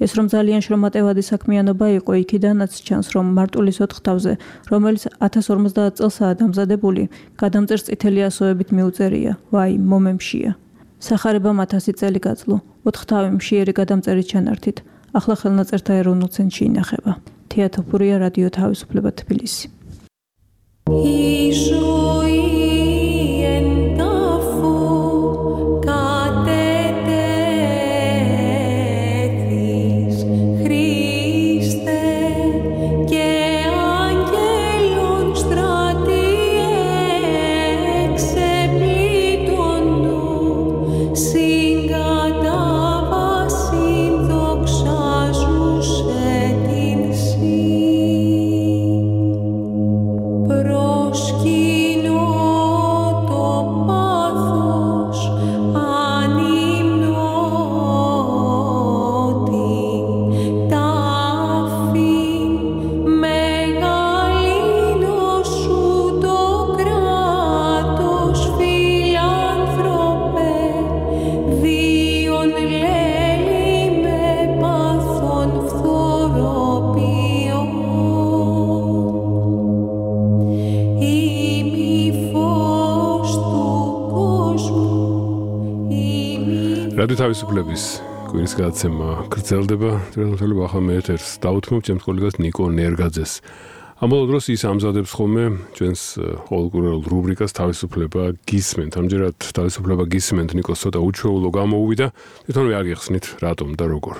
ეს რომ ძალიან შრომატევადი საქმიანობა იყო, იქიდანაც ჩანს, რომ მარტვილის 4 თავზე, რომელიც 1050 წელსაა დამზადებული, გადამწერს წითელი ასოებით მიუწერია. ვაი, მომემშია. სახარებამ 1000 წელი გაძლო, 4 თავი მშიერი გადამწერით ჩანართით. ახლა ხელნაწერთა ეროვნულ ცენტრში ინახება. თეატოფურია, რადიო თავისუფლება, თბილისი. რადიო თავისუფლების კვირის გადაცემა გრძელდება. თვითონ ახლა მე ეთერს დავუთმობ ჩემს კოლეგას ნიკო ნერგაძეს. ამავე დროს ის ამზადებს ხოლმე ჩვენს ყოველკვირეულ რუბრიკას თავისუფლება გისმენთ. ამჯერად თავისუფლება გისმენთ ნიკოს ცოტა უჩვეულო გამოუვიდა. თვითონვე არ გიხსნით რატომ და როგორ.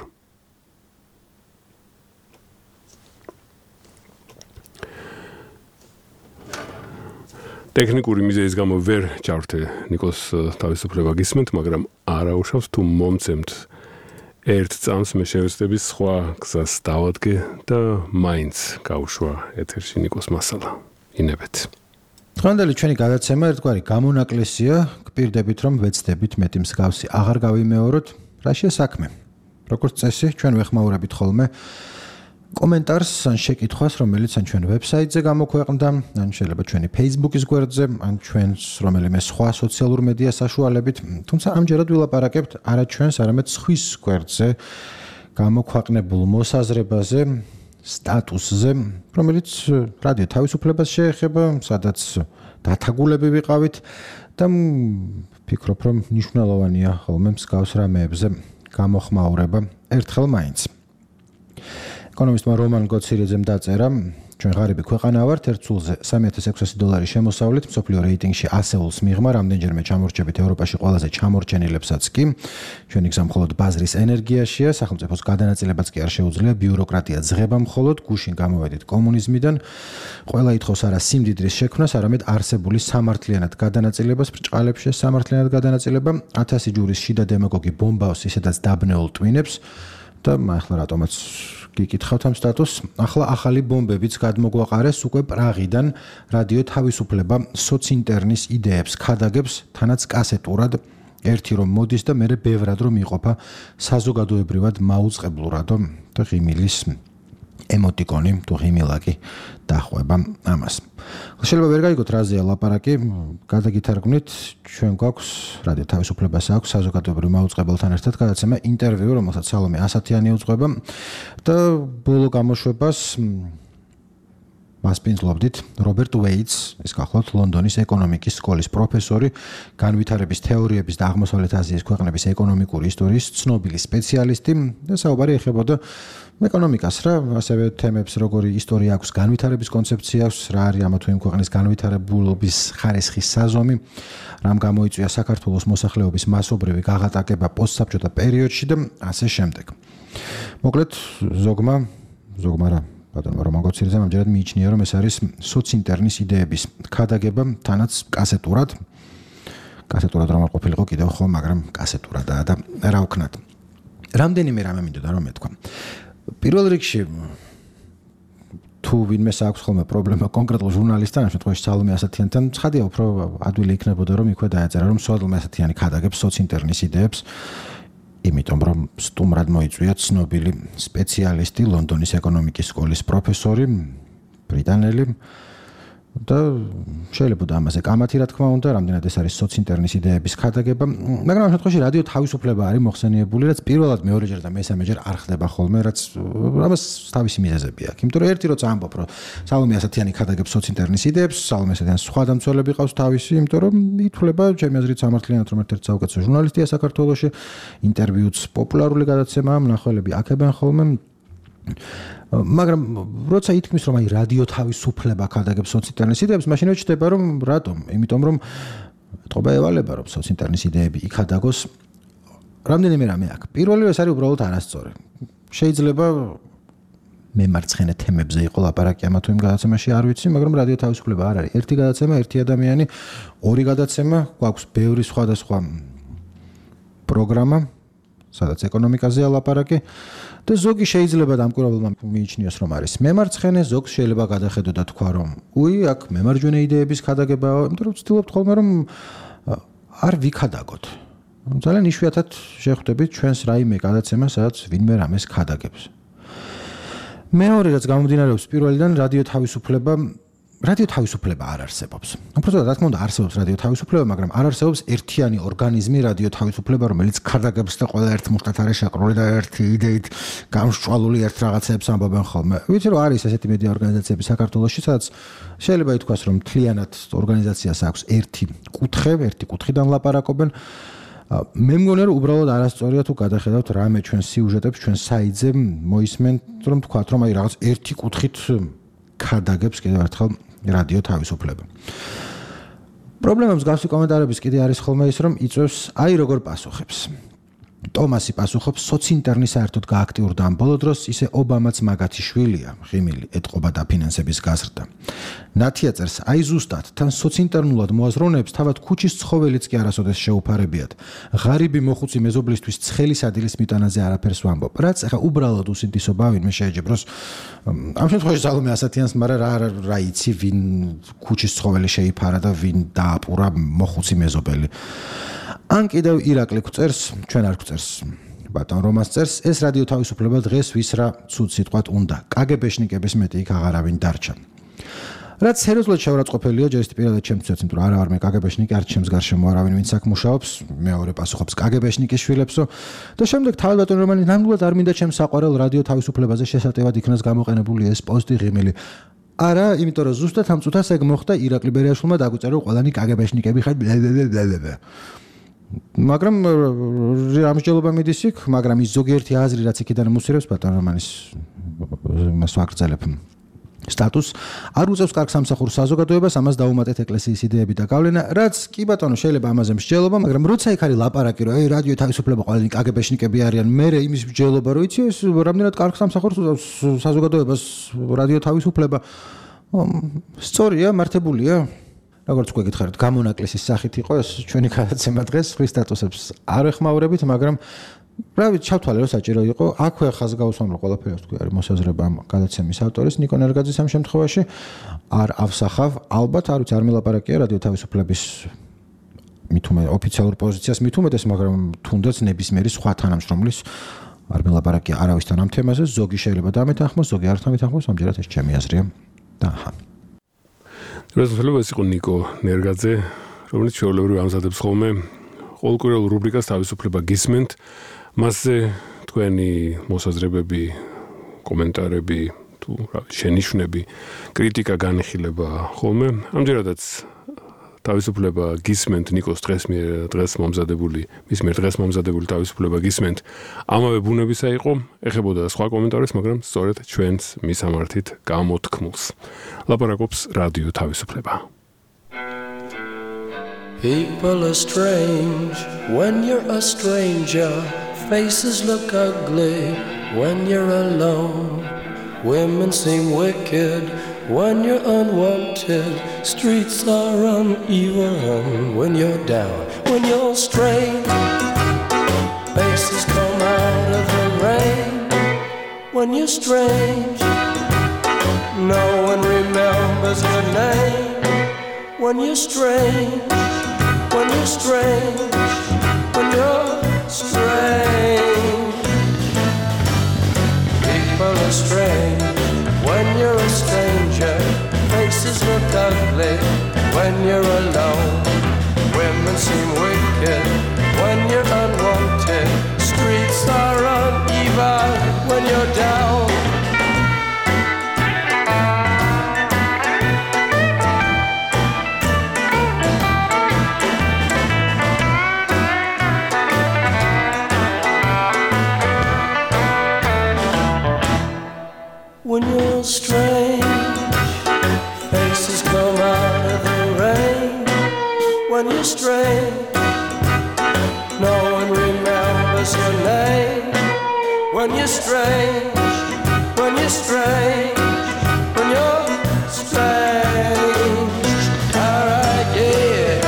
ტექნიკური მიზეზის გამო ვერ ჩავრთე ნიკოს თავისუფლება გისმენთ, მაგრამ არა უშავს თუ მომცემთ ერთ წამს მე შევეცდები სხვა გზას დავადგე და მაინც გავუშვა ეთერში ნიკოს მასალა. ინებეთ. დღევანდელი ჩვენი გადაცემა ერთგვარი გამონაკლისია, გპირდებით რომ ვეცდებით მეტი მსგავსი აღარ გავიმეოროთ, რაშია საქმე. როგორც წესი, ჩვენ ვეხმაურებით ხოლმე კომენტარს ან შეკითხვას, რომელიც ან ჩვენ ვებსაიტზე გამოქვეყნდა, ან შეიძლება ჩვენი Facebook-ის გვერდზე, ან ჩვენს რომელიმე სხვა სოციალურ მედია საშუალებით, თუმცა ამჯერად ვილაპარაკებთ არა ჩვენს, არამედ სხვის გვერდზე გამოქვეყნებულ მოსაზრებაზე, სტატუსზე, რომელიც რადიო თავისუფლებას შეეხება, სადაც დათაგულები ვიყავით და ვფიქრობ, რომ მნიშვნელოვანია ხოლმე მსგავს რამეებზე გამოხმაურება ერთხელ მაინც. ეკონომისტმა რომან გოცირიძემ დაწერა, ჩვენ ღარიბი ქვეყანა ვართ, ერთ სულზე $3600 შემოსავლით, მსოფლიო რეიტინგში ასეულს მიღმა, რამდენჯერმე ჩამორჩებით ევროპაში ყველაზე ჩამორჩენილებსაც კი. ჩვენი გზა მხოლოდ ბაზრის ენერგიაშია, სახელმწიფოს გადანაწილებაც კი არ შეუძლია, ბიუროკრატია ძღება მხოლოდ, გუშინ გამოვედით კომუნიზმიდან. ყველა ითხოვს არა სიმდიდრის შექმნას, არამედ არსებული სამართლიანად გადანაწილებას, ბრჭყალებში სამართლიანად გადანაწილება, 1000 ჯურის შიდა დემაგოგი ბომბავს ისედაც დაბნეულ ტვინებს და ახლა რატომაც გიკითხავთ ამ სტატუსს. ახლა ახალი ბომბებიც გადმოგვაყარეს უკვე პრაღიდან რადიო თავისუფლება სოცინტერნის იდეებს ქადაგებს თანაც კასეტურად ერთი რომ მოდის და მერე ბევრად რომ იყოფა საზოგადოებრივად მაუწყებლურადო და ღიმილის ემოტიკონი თუ ღიმილაკი დახვება ამას. შეიძლება ვერ გაიგოთ რაზეა ლაპარაკი, გადაგითარგმნით, ჩვენ გვაქვს რადიო თავისუფლებას აქვს საზოგადოებრივ მაუწყებელთან ერთად გადაცემა ინტერვიუ, რომელსაც სალომე ასათიანი უძღვება და ბოლო გამოშვებას მასპინძლობდით რობერტ ვეიტს, ის გახლავთ ლონდონის ეკონომიკის სკოლის პროფესორი, განვითარების თეორიების და აღმოსავლეთ აზიის ქვეყნების ეკონომიკური ისტორიის ცნობილი სპეციალისტი და საუბარი ეხებოდა ეკონომიკას რა, ასევე თემებს როგორი ისტორია აქვს, განვითარების კონცეფცია აქვს, რა არის ამა თუ იმ ქვეყნის განვითარებულობის ხარისხის საზომი, რამ გამოიწვია საქართველოს მოსახლეობის მასობრივი გაღატაკება პოსტსაბჭოთა პერიოდში და ასე შემდეგ. მოკლედ ზოგმა რა ბატონო რომან გოცირიძემ ამჯერად მიიჩნია, რომ ეს არის სოცინტერნის იდეების ქადაგება, თანაც კასეტურად რომ არ ყოფილიყო კიდევ ხო, მაგრამ კასეტურადაა და რა ვქნათ. რამდენიმე რამე მინდოდა რომ მეთქვა. პირველ რიგში თუ ვინმეს აქვს ხოლმე პრობლემა კონკრეტულ ჟურნალისტთან, ამ შემთხვევაში სალომე ასათიანთან, ცხადია უფრო ადვილი იქნებოდა რომ იქვე დაეწერა, რომ სალომე ასათიანი ქადაგებს სოცინტერნის იდეებს. იმიტომ რომ სტუმრად მოიწვია ცნობილი სპეციალისტი, ლონდონის ეკონომიკის სკოლის პროფესორი, ბრიტანელი და შეიძლება ამაზე კამათი რა თქმა უნდა, რამდენად ეს არის სოცინტერნის იდეების ქადაგება, მაგრამ ამ შემთხვევაში რადიო თავისუფლება არის მოხსენიებული, რაც პირველად მეორეჯერ და მესამეჯერ არ ხდება ხოლმე, რაც ამას თავისი მიზეზები აქვს. იმიტომ რომ ერთი როცა ამბობ, რომ სალომე ასათიანი ქადაგებს სოცინტერნის იდეებს, სალომე ასათიანი სხვა დამცველები ყავს თავისი, იმიტომ რომ ითვლება ჩემი აზრით სამართლიანად რომ ერთ-ერთი საუკეთესო ჟურნალისტია საქართველოში, ინტერვიუც პოპულარული გადაცემაა, მნახველები აქებენ ხოლმე. მაგრამ როცა ითქმის რომ აი რადიო თავისუფლება ქადაგებს სოცინტერნის იდეებს, მაშინ ეჩდება რომ რატომ? იმიტომ რომ ეთყობა ევალება რომ სოცინტერნის იდეები იქადაგოს. რამდენიმე რამე აქვს. პირველი ეს არის უბრალოდ არასწორი. შეიძლება მემარცხენე თემებზე იყო ლაპარაკი ამა თუ იმ გადაცემაში, არ ვიცი, მაგრამ რადიო თავისუფლება არ არის. ერთი გადაცემა, ერთი ადამიანი, ორი გადაცემა, გვაქვს ბევრი სხვადასხვა პროგრამა, სადაც ეკონომიკაზეა ლაპარაკი. და ზოგი შეიძლება დამკვირვებელმა მიიჩნიოს რომ არის მემარცხენე, ზოგს შეიძლება გადახედო და თქვა რომ უი, აქ მემარჯვენე იდეების ქადაგებაა, იმიტომ რომ ვცდილობთ ხოლმე რომ არ ვიქადაგოთ. ძალიან იშვიათად შეხვდებით ჩვენს რაიმე გადაცემა, სადაც ვინმე რამეს ქადაგებს. მეორე რაც გამომდინარეობს პირველიდან, რადიო თავისუფლება არ არსებობს. უბრალოდ რა თქმა უნდა არსებობს რადიო თავისუფლება, მაგრამ არ არსებობს ერთიანი ორგანიზმი რადიო თავისუფლება, რომელიც ქადაგებს და ყველა ერთ მუშტად არის შაკრული და ერთი იდეით გამსჭვალული ერთ რაღაცებს ამბობენ ხოლმე. ვიცი რომ არის ესეთი მედია ორგანიზაციები საქართველოში, სადაც შეიძლება ითქვას რომ მთლიანად ორგანიზაციას აქვს ერთი კუთხიდან ლაპარაკობენ. მე მგონია რომ უბრალოდ არასწორია თუ გადახედავთ რამე ჩვენ სიუჟეტებს, ჩვენ საიტზე მოისმენთ რომ თქვათ რომ აი რაღაც ერთი კუთხით ქადაგებს კიდევ ერთხელ რადიო თავისუფლება. პრობლემა მსგავსი კომენტარების კიდე არის ხოლმე ის რომ იწევს აი როგორ პასუხებს. ტომასი პასუხობს სოცინტერნი საერთოდ გააქტიურდა ამ ბოლო დროს, ისე ობამაც მაგათი შვილია, ღიმილი ეთყობა და ფინანსების გაზრდა. ნათია წერს აი ზუსტად თან სოცინტერნულად მოაზროვნეებს თავად ქუჩის ცხოველიც კი არასოდეს შეუფარებიათ. ღარიბი მოხუცი მეზობლისთვის ცხელი სადილის მიტანაზე არაფერს ვამბობ. რაც ახლა უბრალოდ უსინდისობა ვინმე შეეჯიბროს. ამ შემთხვევაში სალომე ასათიანს, მაგრამ რა იცი ვინ ქუჩის ცხოველი შეიფარა და ვინ დააპურა მოხუცი მეზობელი. ან კიდევ ირაკლი გვწერს, ჩვენ არ გვწერს. ბატონ რომას წერს, ეს რადიო თავისუფლება დღეს ვის რა ცუდ სიტყვად უნდა. კგბ-შნიკების მეტი იქ აღარავინ დარჩა. რაც სერიოზულად შეურაცხყოფელია, ჯერ პირადად ჩემთვისაც, იმიტომ რომ არა ვარ მე კგბ-შნიკი, არ ჩემს გარშემო არავინ ვინც აქ მუშაობს, მეორე პასუხობს კგბ-შნიკის შვილებსო და შემდეგ თავად ბატონ რომანი ნამდვილად არ მინდა ჩემს საყვარელ რადიო თავისუფლებაზე შესატევად იქნას გამოყენებული ეს პოსტი ღიმილი. არა, იმიტომ რომ ზუსტად ამ წუთას ეგ მოხდა ირაკლი ბერიაშვილმა დაგვიწერა რომ ყველანი კგბ-შნიკები ხართ. მაგრამ ამსჯელობა მიდის იქ, მაგრამ ის ზოგიერთი აზრი რაც იქიდან მოსირებს ბატონ რომანის მას ვაგრძელებ. სტატუს არ უწევს კარგ სამსახურს საზოგადოებას, ამას დაუმატეთ ეკლესიის იდეები და გავლენა, რაც კი ბატონო შეიძლება ამაზე მსჯელობა, მაგრამ როცა იქ არის ლაპარაკი, რომ რადიო თავისუფლება ყველანი კგბ-შნიკები არიან, მე იმის მსჯელობა, რომ იცი ეს რამდენად კარგ სამსახურს უწევს საზოგადოებას რადიო თავისუფლება. სწორია, მართებულია. როგორც გვეკითხარით, გამონაკლისის სახით იყო ეს ჩვენი გადაცემა დღეს, ხვის სტატუსებს არ ეხმაურებით, მაგრამ რა ვიცი, ჩავთვალე რომ საჭირო იყო. აქვე ხაზ გავუსვამ რომ ყველაფერი თქვი არის მოსაზრება ამ გადაცემის ავტორის ნიკო ნერგაძის ამ შემთხვევაში არ ავსახავ, ალბათ არ ვიცი, არ მელაპარაკია რადიო თავისუფლების მithume ოფიციალურ პოზიციას მithumedes, მაგრამ თუნდაც ნებისმიერი სხვა თანამშრომლის არ მელაპარაკია არავისთან ამ თემაზე, ზოგი შეიძლება დამეთანხმოს, ზოგი არ დამეთანხმოს, ამჯერად ეს ჩემი აზრია. და რეზოლუცია ეს იყო ნიკო ნერგაძე, რომელიც ჩვეულებრივ ამზადებს ხოლმე ყოველკვირეულ რუბრიკას თავისუფლება გისმენთ. მასზე თქვენი მოსაზრებები, კომენტარები თუ შენიშვნები, კრიტიკა განიხილება ხოლმე. ამჯერადაც თავისუფლება გისმენთ ნიკოს დღეს მომზადებული, მის მიერ დღეს მომზადებული თავისუფლება გისმენთ. ამავე ბუნებისა იყო, ეხებოდა სხვა კომენტარებს, მაგრამ სწორედ ჩვენს მისამართით გამოთქმულს. ლაპარაკობს რადიო თავისუფლება. People are strange when you're a stranger. Faces look ugly when you're alone. Women seem wicked when you're unwanted. Streets are uneven when you're down. When you're strange, faces come out of the rain. When you're strange, no one remembers your name. When you're strange, when you're strange, when you're strange. ugly when you're alone. Women seem wicked when you're unwanted. Streets are uneven when you're down. When you're strange, faces come out of the rain. When you're strange, no one remembers your name. When you're strange, when you're strange, when you're strange. Alright, yeah.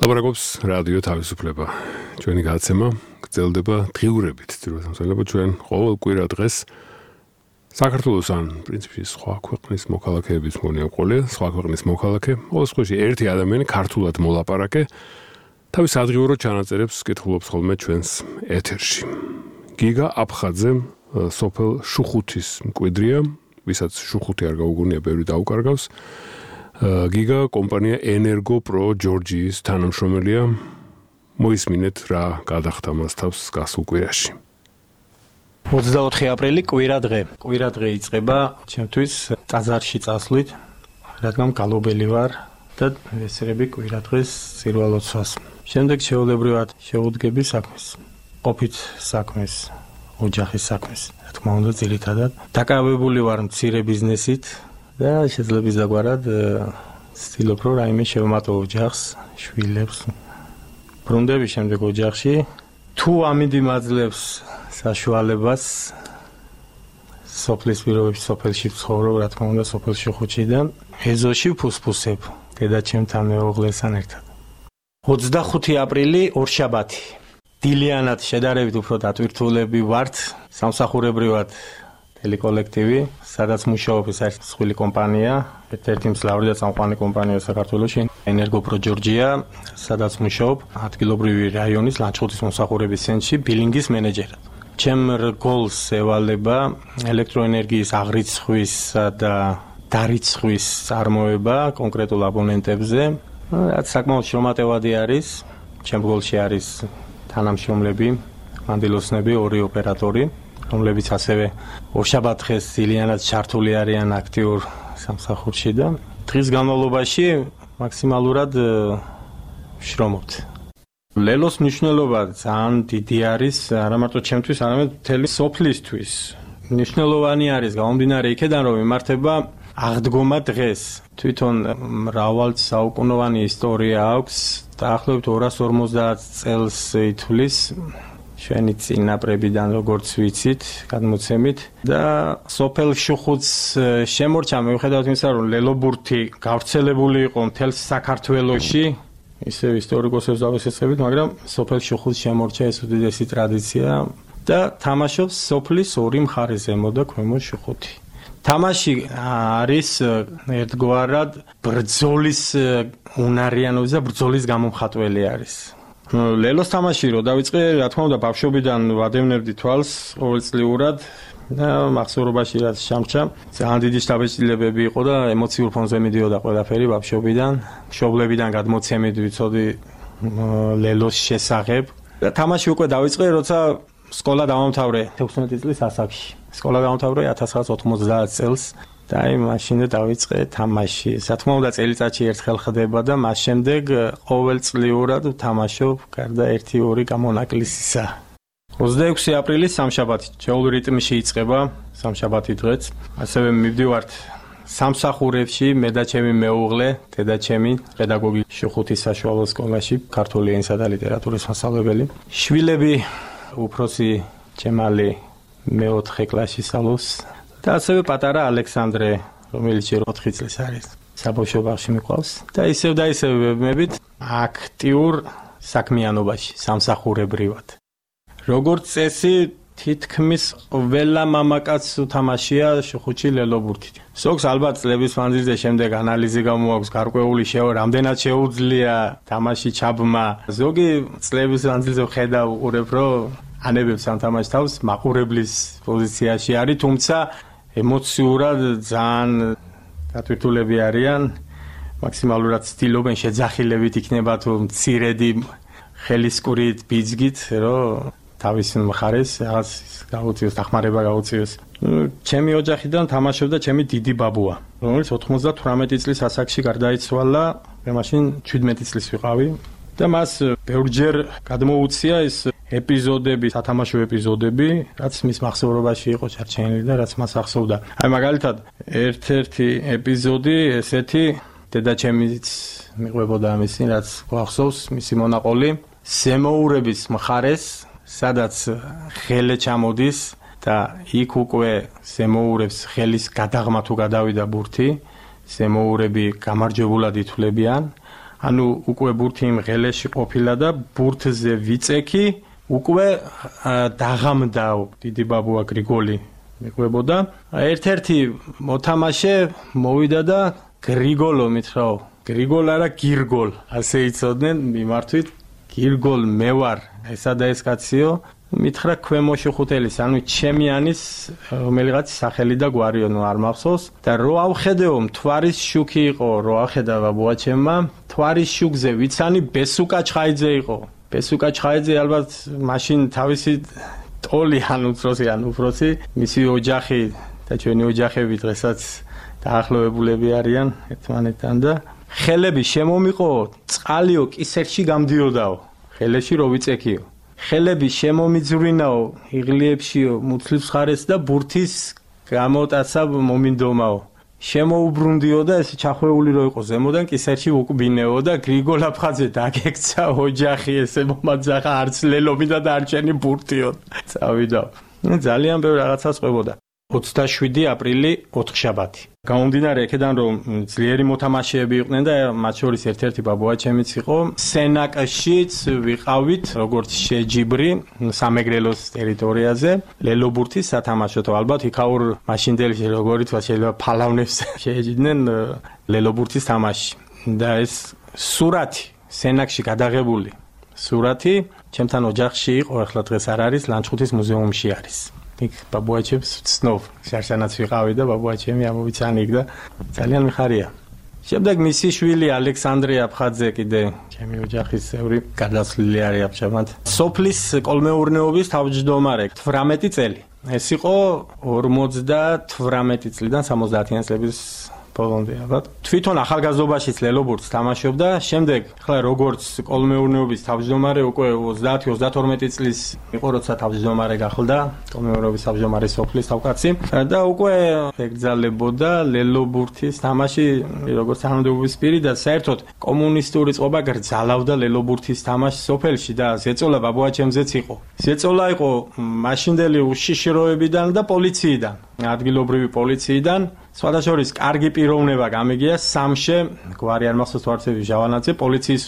ლაპარაკობს რადიო თავისუფლება. ჩვენი გადაცემა გრძელდება დღიურებით. ძირითადად ჩვენ ყოველ კვირა დღეს საქართველოს ან პრინციპში სხვა ქვეყნის მოქალაქეების მონიაყოლია, სხვა ქვეყნის მოქალაქე, ყოველთვის ერთი ადამიანი ქართულად მოლაპარაკე, თავის ადგილობრივ ჩანაწერებს კითხულობს ხოლმე ჩვენს ეთერში. გიგა აფხაძე სოფელ შუხუთის მკვიდრია, ვისაც შუხუთი არ გაუგონია, ბევრი დაუკარგავს. გიგა კომპანია ენერგო პრო ჯორჯიის თანამშრომელია. მოისმინეთ რა გადახდა მას თავს გასულ კვირაში. 24 აპრილი კვირადღე. კვირადღე იწყება ჩემთვის ტაძარში წასვლით, რადგან გალობელი ვარ და ვესწრები კვირადღეს წირვალოცვას. შემდეგ შეულებრივად შეუდგები საქმეს. ყოფით საქმეს, ოჯახის საქმეს. რა თქმა უნდა, ძირითადად დაკავებული ვარ მცირე ბიზნესით. და შეძლებს დაგვარად ცდილობ რომ რაიმე შევმატო ოჯახს, შვილებს. ბრუნდები შემდეგ ოჯახში. თუ ამინდი მაძლევს საშუალებას სოფლის პირობებში სოფელში ვცხოვრობ, რა თქმა უნდა, სოფელში ხუჩიდან ეზოში ვფუსფუსებ დედაჩემთან მეუღლესთან ერთად. 25 აპრილი ორშაბათი. დილიანად შედარებით უფრო დატვირთულები ვართ, სამსახურებრივად ტელეკოლექტივი, სადაც მუშაობ ეს არის მსხვილი კომპანია, ერთ-ერთი მძლავრი და წამყვანი კომპანია საქართველოში, ენერგო პრო ჯორჯია, სადაც მუშაობ ადგილობრივი რაიონის ლანჩხუთის მომსახურების ცენტრში ბილინგის მენეჯერად. ჩემ რგოლს ევალება ელექტროენერგიის აღრიცხვისა და დარიცხვის წარმოება კონკრეტულ აბონენტებზე, რაც საკმაოდ შრომატევადი არის. ჩემ რგოლში არის თანამშრომლები, მანდილოსნები, ორი ოპერატორი, რომლებიც ასევე ორშაბათ დღეს დილიანად ჩართული არიან აქტიურ სამსახურში და დღის განმავლობაში მაქსიმალურად ვშრომობთ. ლელოს მნიშვნელობა ძალიან დიდი არის, არა მარტო ჩემთვის, არამედ მთელი სოფლისთვის. მნიშვნელოვანი არის გამომდინარე იქედან, რომ იმართება აღდგომა დღეს. თვითონ მრავალ საუკუნოვანი ისტორია აქვს, დაახლოებით 250 წელს ითვლის ჩვენი წინაპრებიდან როგორც ვიცით, გადმოცემით და სოფელ შუხუთს შემორჩა მიუხედავად იმისა, რომ ლელობურთი გავრცელებული იყო მთელ საქართველოში, ისევ ისტორიკოსებს დავესწრებით, მაგრამ სოფელ შუხუთს შემორჩა ეს უდიდესი ტრადიცია და თამაშობს სოფლის ორი მხარე, ზემო და ქვემო შუხუთი. თამაში არის ერთგვარად ბრძოლის უნარიანობის და ბრძოლის გამომხატველი არის. ლელოს თამაში რო დავიწყე, რა თქმა უნდა, ბავშვობიდან ვადევნებდი თვალს ყოველწლიურად და მახსოვრობაში რაც შემჭა, ძალიან დიდი შთაბეჭდილებები იყო და ემოციურ ფონზე მიდიოდა ყველაფერი ბავშვობიდან, მშობლებიდან გადმოცემით ვიცოდი ლელოს შესახებ. და თამაში უკვე დავიწყე, როცა სკოლა დავამთავრე 16 წლის ასაკში. სკოლა დავამთავრე 1990 წელს. და აი მაშინე დავიწყე თამაში. რა თქმა უნდა, წელიწადში ერთხელ ხდება და მას შემდეგ ყოველწლიურად ვთამაშობ გარდა 1-2 გამონაკლისისა. 26 აპრილი სამშაბათი, ჩვეულებრივ რიტმში იწყება სამშაბათი დღეც. ასევე მივდივართ სამსახურებში, მე და ჩემი მეუღლე, დედაჩემი, პედაგოგი შუხუთის საშუალო სკოლაში, ქართული ენისა და ლიტერატურის მასწავლებელი. შვილები უფროსი ჯემალი მე-4 კლასში სწავლობს და ასევე პატარა ალექსანდრე, რომელიც 4 წლის არის. საბავშვო ბაღში მიყვავს და ისევ ვებმებით აქტიურ საქმიანობაში, სამსახურებრივად. როგორც წესი, თითქმის ყველა მამაკაცს უთამაშია შუხუჩი ლელობურთით. ზოგს ალბათ წლების მანძილზე შემდეგ ანალიზი გამოაქვს გარკვეული რამდენად შეუძლია თამაში ჩაბმა. ზოგი წლების მანძილზე ხედავ უყურებ, რომ ანებებს ამ თამაშ თავს მაყურებლის პოზიციაში არის, თუმცა ემოციურად ძალიან დატვირთულები არიან, მაქსიმალურად ცდილობენ შეძახილებით იქნება თუ მცირედი ხელისკურით, ბიძგით, რომ თავის მხარეს რაღაც გაუწიოს, დახმარება გაუწიოს. ჩემი ოჯახიდან თამაშობდა ჩემი დიდი ბაბუა, რომელიც 98 წლის ასაკში გარდაიცვალა, მე მაშინ 17 წლის ვიყავი და მას ბევრჯერ გადმოუცია ეს ეპიზოდები, სათამაშო ეპიზოდები, რაც მის მახსოვრობაში იყო ჩარჩენილი და რაც მას ახსოვდა. აი მაგალითად, ერთ-ერთი ეპიზოდი ესეთი დედაჩემიც მიყვებოდა ამისი, რაც გვახსოვს მისი მონაყოლი, სემოურების მხარეს, სადაც ხელე ჩამოდის და იქ უკვე სემოურებს ხელის გადაღმა თუ გადავიდა ბურთი, სემოურები გამარჯვებულად ითვლებიან. ანუ უკვე ბურთი იმ ღელეში ყოფილა და ბურთზე ვიწექი უკვე დაღამდაო დიდი ბაბუა გრიგოლი მიყვებოდა. ერთ-ერთი მოთამაშე მოვიდა და გრიგოლო მითხრაო, გრიგოლ არა გირგოლ, ასე იცოდნენ მიმართვით, გირგოლ მე ვარ, ესა და ეს კაციო, მითხრა ქვემოში ხუთელის, ანუ ჩემიანის რომელიღაც სახელი და გვარიო, ნუ არ მახსოვს და რო ავხედეო მთვარის შუქი იყო, რო ახედა ბაბუა ჩემმა, მთვარის შუქზე ვიცანი ბესუკა ჩხაიძე იყო. ბესუკა ჩხაიძე ალბათ მაშინ თავისი ტოლი ან უფროსი, მისი ოჯახი და ჩვენი ოჯახები დღესაც დაახლოებულები არიან ერთმანეთთან და ხელები შემომიყო, წყალიო კისერში გამდიოდაო, ხელეში რო ვიწექიო. ხელები შემომიძვრინაო, იღლიებშიო, მუცლის მხარეს და ბურთის გამოტაცა მომინდომაო. შემოუბრუნდიო და ეს ჩახვეული რო იყო ზემოდან კისერში უკბინეო და გრიგოლ აფხაძე დაგექცა ოჯახი ესე მომაძახა არც ლელომი და დარჩენი ბურთიო. წავიდა. ძალიან ბევრ რაღაცას ყვებოდა. 27 აპრილი 4 შაბათი. გამომდინარე აქედან რომ ძლიერი მოთამაშეები იყვნენ და მათ შორის ერთ-ერთი ბაბუა ჩემიც იყო, სენაკშიც ვიყავით როგორც შეჯიბრი სამეგრელოს ტერიტორიაზე, ლელობურთის სათამაშოთო ალბათ იქაურ მაშინდელი როგორი თქვა შეიძლება ფალავნებს შეეჯიდნენ ლელობურთის თამაში და ეს სურათი სენაკში გადაღებული სურათი ჩემთან ოჯახში იყო, ახლა დღეს არ არის, ლანჩხუთის მუზეუმში არის. იქ ბაბუაჩებს ვცნობ, შარშანაც ვიყავი და ბაბუაჩემი ამოვიცანი იქ და ძალიან მიხარია. შემდეგ მისი შვილი ალექსანდრე აფხაძე კიდე ჩემი ოჯახის წევრი გადასვლილი არის ამჟამად. სოფლის კოლმეურნეობის თავმჯდომარე 18 წელი. ეს იყო 58 წლიდან 70-იან წლების ბოლომდე ალბათ. თვითონ ახალგაზრდობაშიც ლელობურთს თამაშობდა, შემდეგ ხლა როგორც კოლმეურნეობის თავმჯდომარე უკვე 30-32 წლის იყო, როცა თავმჯდომარე გახდა, კოლმეურნეობის თავმჯდომარე სოფლის თავკაცი და უკვე ეკძალებოდა ლელობურთის თამაში როგორც თანამდებობის პირი და საერთოდ კომუნისტური წყობა გრძალავდა ლელობურთის თამაშს სოფელში და ზეწოლა ბაბუაჩემზეც იყო. ზეწოლა იყო მაშინდელი უშიშროებიდან და პოლიციიდან, ადგილობრივი პოლიციიდან. სხვადასხვა კარგი პიროვნება გამიგია სამშე გვარი არ მახსოვს თვარცები ჟავანაძე პოლიციის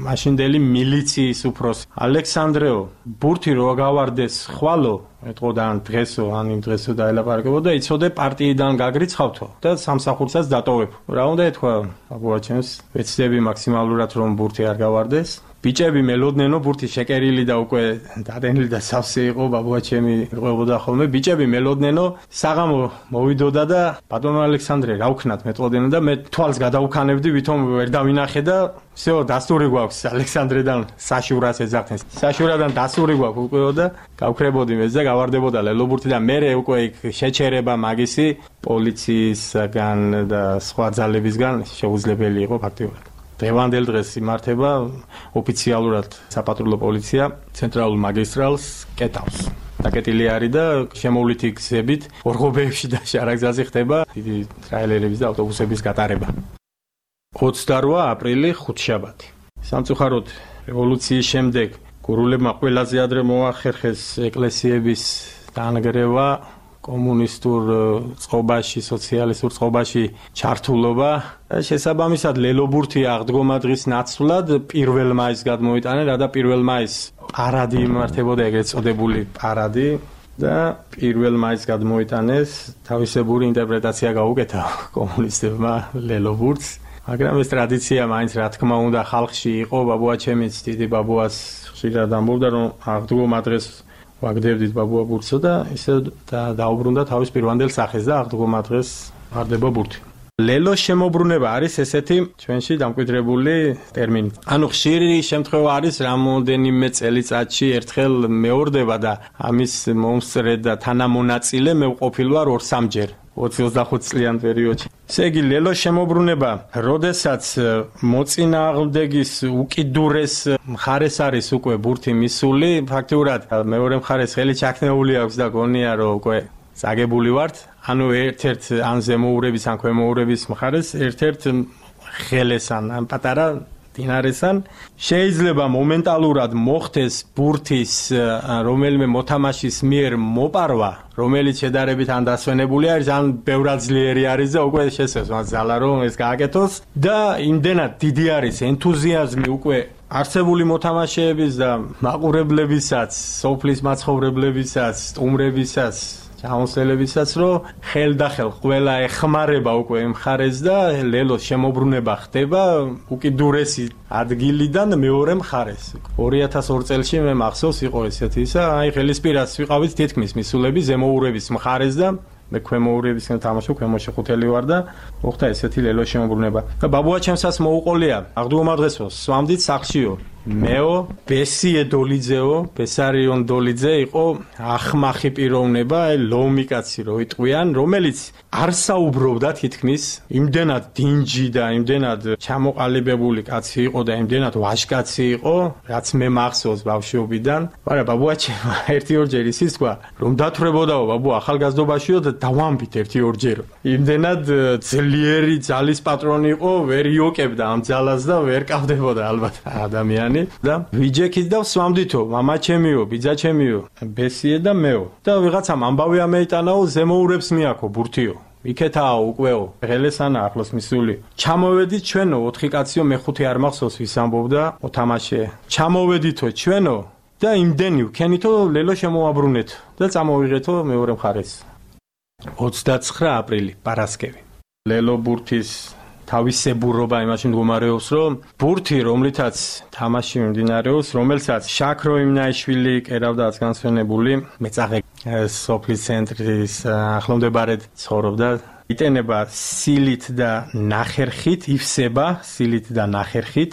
მაშინდელი მილიციის უფროსი ალექსანდრეო ბურთი რო გავარდეს ხვალო ეთყოდა ან დღესო ან იმ დღესო დაელაპარაკებოდა იცოდე პარტიიდან გაგრიცხავთო და სამსახურსაც დატოვებ რა უნდა ეთქვა ბაბუაჩემს ვეცდები მაქსიმალურად რომ ბურთი არ გავარდეს ბიჭები მელოდნენო ბურთი შეკერილი და უკვე დადენილი და სავსე იყო ბაბუაჩემი ყვებოდა ხოლმე ბიჭები მელოდნენო საღამო მოვიდოდა და ბატონო ალექსანდრე რა ვქნათ მეტყოდნენ და მე თვალს გადავუქანებდი ვითომ ვერ დავინახე და всё დასტური გვაქვს ალექსანდრედან საშურას ეძახდნენ საშურადან დასტური გვაქვს უკვე და გავქრებოდი მეც და გავარდებოდა ლელობურთი და მე უკვე შეჩერება მაგისი პოლიციისგან და სხვა ძალებისგან შეუძლებელი იყო ფაქტიურად დღევანდელ დღეს იმართება ოფიციალურად საპატრულო პოლიცია ცენტრალურ მაგისტრალს კეტავს. დაკეტილი არის და შემოვლითი გზებით ორღობეებში და შარაგზაზე ხდება დიდი ტრაილერების და ავტობუსების გატარება. 28 აპრილი 5 შაბათი. სამწუხაროდ რევოლუციის შემდეგ გურულებმა ყველაზე ადრე მოახერხეს ეკლესიების დაანგრევა, კომუნისტურ წყობაში, სოციალისტურ წყობაში ჩართულობა. შესაბამისად, ლელობურთი აღდგომა დღის ნაცვლად 1 მაისს გადმოიტანა, რადა 1 მაისს პარადი იმართებოდა, ეგრეთ წოდებული პარადი და 1 მაისს გადმოიტანეს, თავისებური ინტერპრეტაცია გაუკეთა კომუნისტებმა ლელობურთს. მაგრამ ეს ტრადიცია მაინც რა თქმა უნდა ხალხში იყო, ბაბუაჩემიც დიდი ბაბუას ხშირად ამბობდა, რომ აღდგომა დღეს ვაგდებდით ბაბუა ბურთსო და ისე დაუბრუნდა თავის პირვანდელ სახეს და აღდგომა დღეს აღდება ბურთი. ლელოს შემოbrunება არის ესეთი ჩვენში დამკვიდრებული ტერმინი. ანუ ხშირი შემთხვევა არის რამოდენიმე წელიწადში ერთხელ მეორდება და ამის მომსწრე და თანამონაწილე მე ვყოფილ ვარ 2-3ჯერ 20-25 წლიან პერიოდში. ესე იგი ლელოს შემოbrunება, როდესაც მოწინააღმდეგის უკიდურეს მხარეს არის უკვე ბურთი მისული, ფაქტიურად მეორე მხარეს ხელი ჩაქნეული აქვს და გონია რომ უკვე წაგებული ვართ, ანუ ერთ-ერთ ან ზემოურების ან ქვემოურების მხარეს ერთ-ერთ ხელესან ან პატარა დინარესან შეიძლება მომენტალურად მოხდეს ბურთის რომელიმე მოთამაშის მიერ მოპარვა, რომელიც შედარებით ან დასვენებული არის, ან ბევრად ძლიერი არის და უკვე შესწევს მას ძალა რომ ეს გააკეთოს და იმდენად დიდი არის ენთუზიაზმი უკვე არსებული მოთამაშეების და მაყურებლებისაც, სოფლის მაცხოვრებლებისაც, სტუმრებისაც ჩამოსელებისაც, რომ ხელდახელ ყველა ეხმარება უკვე იმ მხარეს და ლელოს შემოbrunება ხდება უკიდურესი ადგილიდან მეორე მხარეს. 2002 წელში მე მახსოვს იყო ესეთი ისა, აი ხელისპირას ვიყავით თითქმის მისულები ზემოურების მხარეს და მე ქვემოურებისგან თამაშობ, ქვემოშეხუთელი ვარ და მოხდა ესეთი ლელოს შემოbrunება. და ბაბუაჩემსაც მოუყოლია აღდგომა დღესო, სვამდით სახლშიო. მეო ბესიე დოლიძეო, ბესარიონ დოლიძე იყო ახმახი პიროვნება, ლომი კაცი რო იტყვიან, რომელიც არ საუბრობდა თითქმის, იმდენად დინჯი და იმდენად ჩამოყალიბებული კაცი იყო და იმდენად ვაჟკაცი იყო, რაც მე მახსოვს ბავშვობიდან. მაგრამ ბაბუაჩემ ერთი-ორჯერ ისიც თქვა, რომ დათვრებოდაო ბაბუ ახალგაზრდობაშიო და დავამბით ერთი-ორჯერ. იმდენად ძლიერი ძალის პატრონი იყო, ვერ იოკებდა ამ ძალას და ვერ კავდებოდა ალბათ ადამიანი. და ვიჯექით და სვამდითო, მამაჩემიო, ბიძაჩემიო, ბესიე და მეო. და ვიღაცამ ამბავი ამეიტანაო, ზემოურებს მიაქო ბურთიო. იქეთაა უკვლეო, ღელესანა ახლოს მისული. ჩამოვედით ჩვენო, 4 კაციო, მე-5 არ მახსოვს ვის ამბობდა, მოთამაშე. ჩამოვედითო ჩვენო და იმდენი ვქენითო ლელო შემოაბრუნეთ და წამოვიღეთო მეორე მხარეს. 29 აპრილი, პარასკევი. ლელო ბურთის თავისებურობა იმაში მდგომარეობს, რომ ბურთი, რომლითაც თამაში მიმდინარეობს, რომელსაც შაქრო იმნაიშვილი კერავდა განსვენებული მეწაღე სოფლის ცენტრის ახლომდებარედ ცხოვრობდა, იტენება სილით და ნახერხით, ივსება სილით და ნახერხით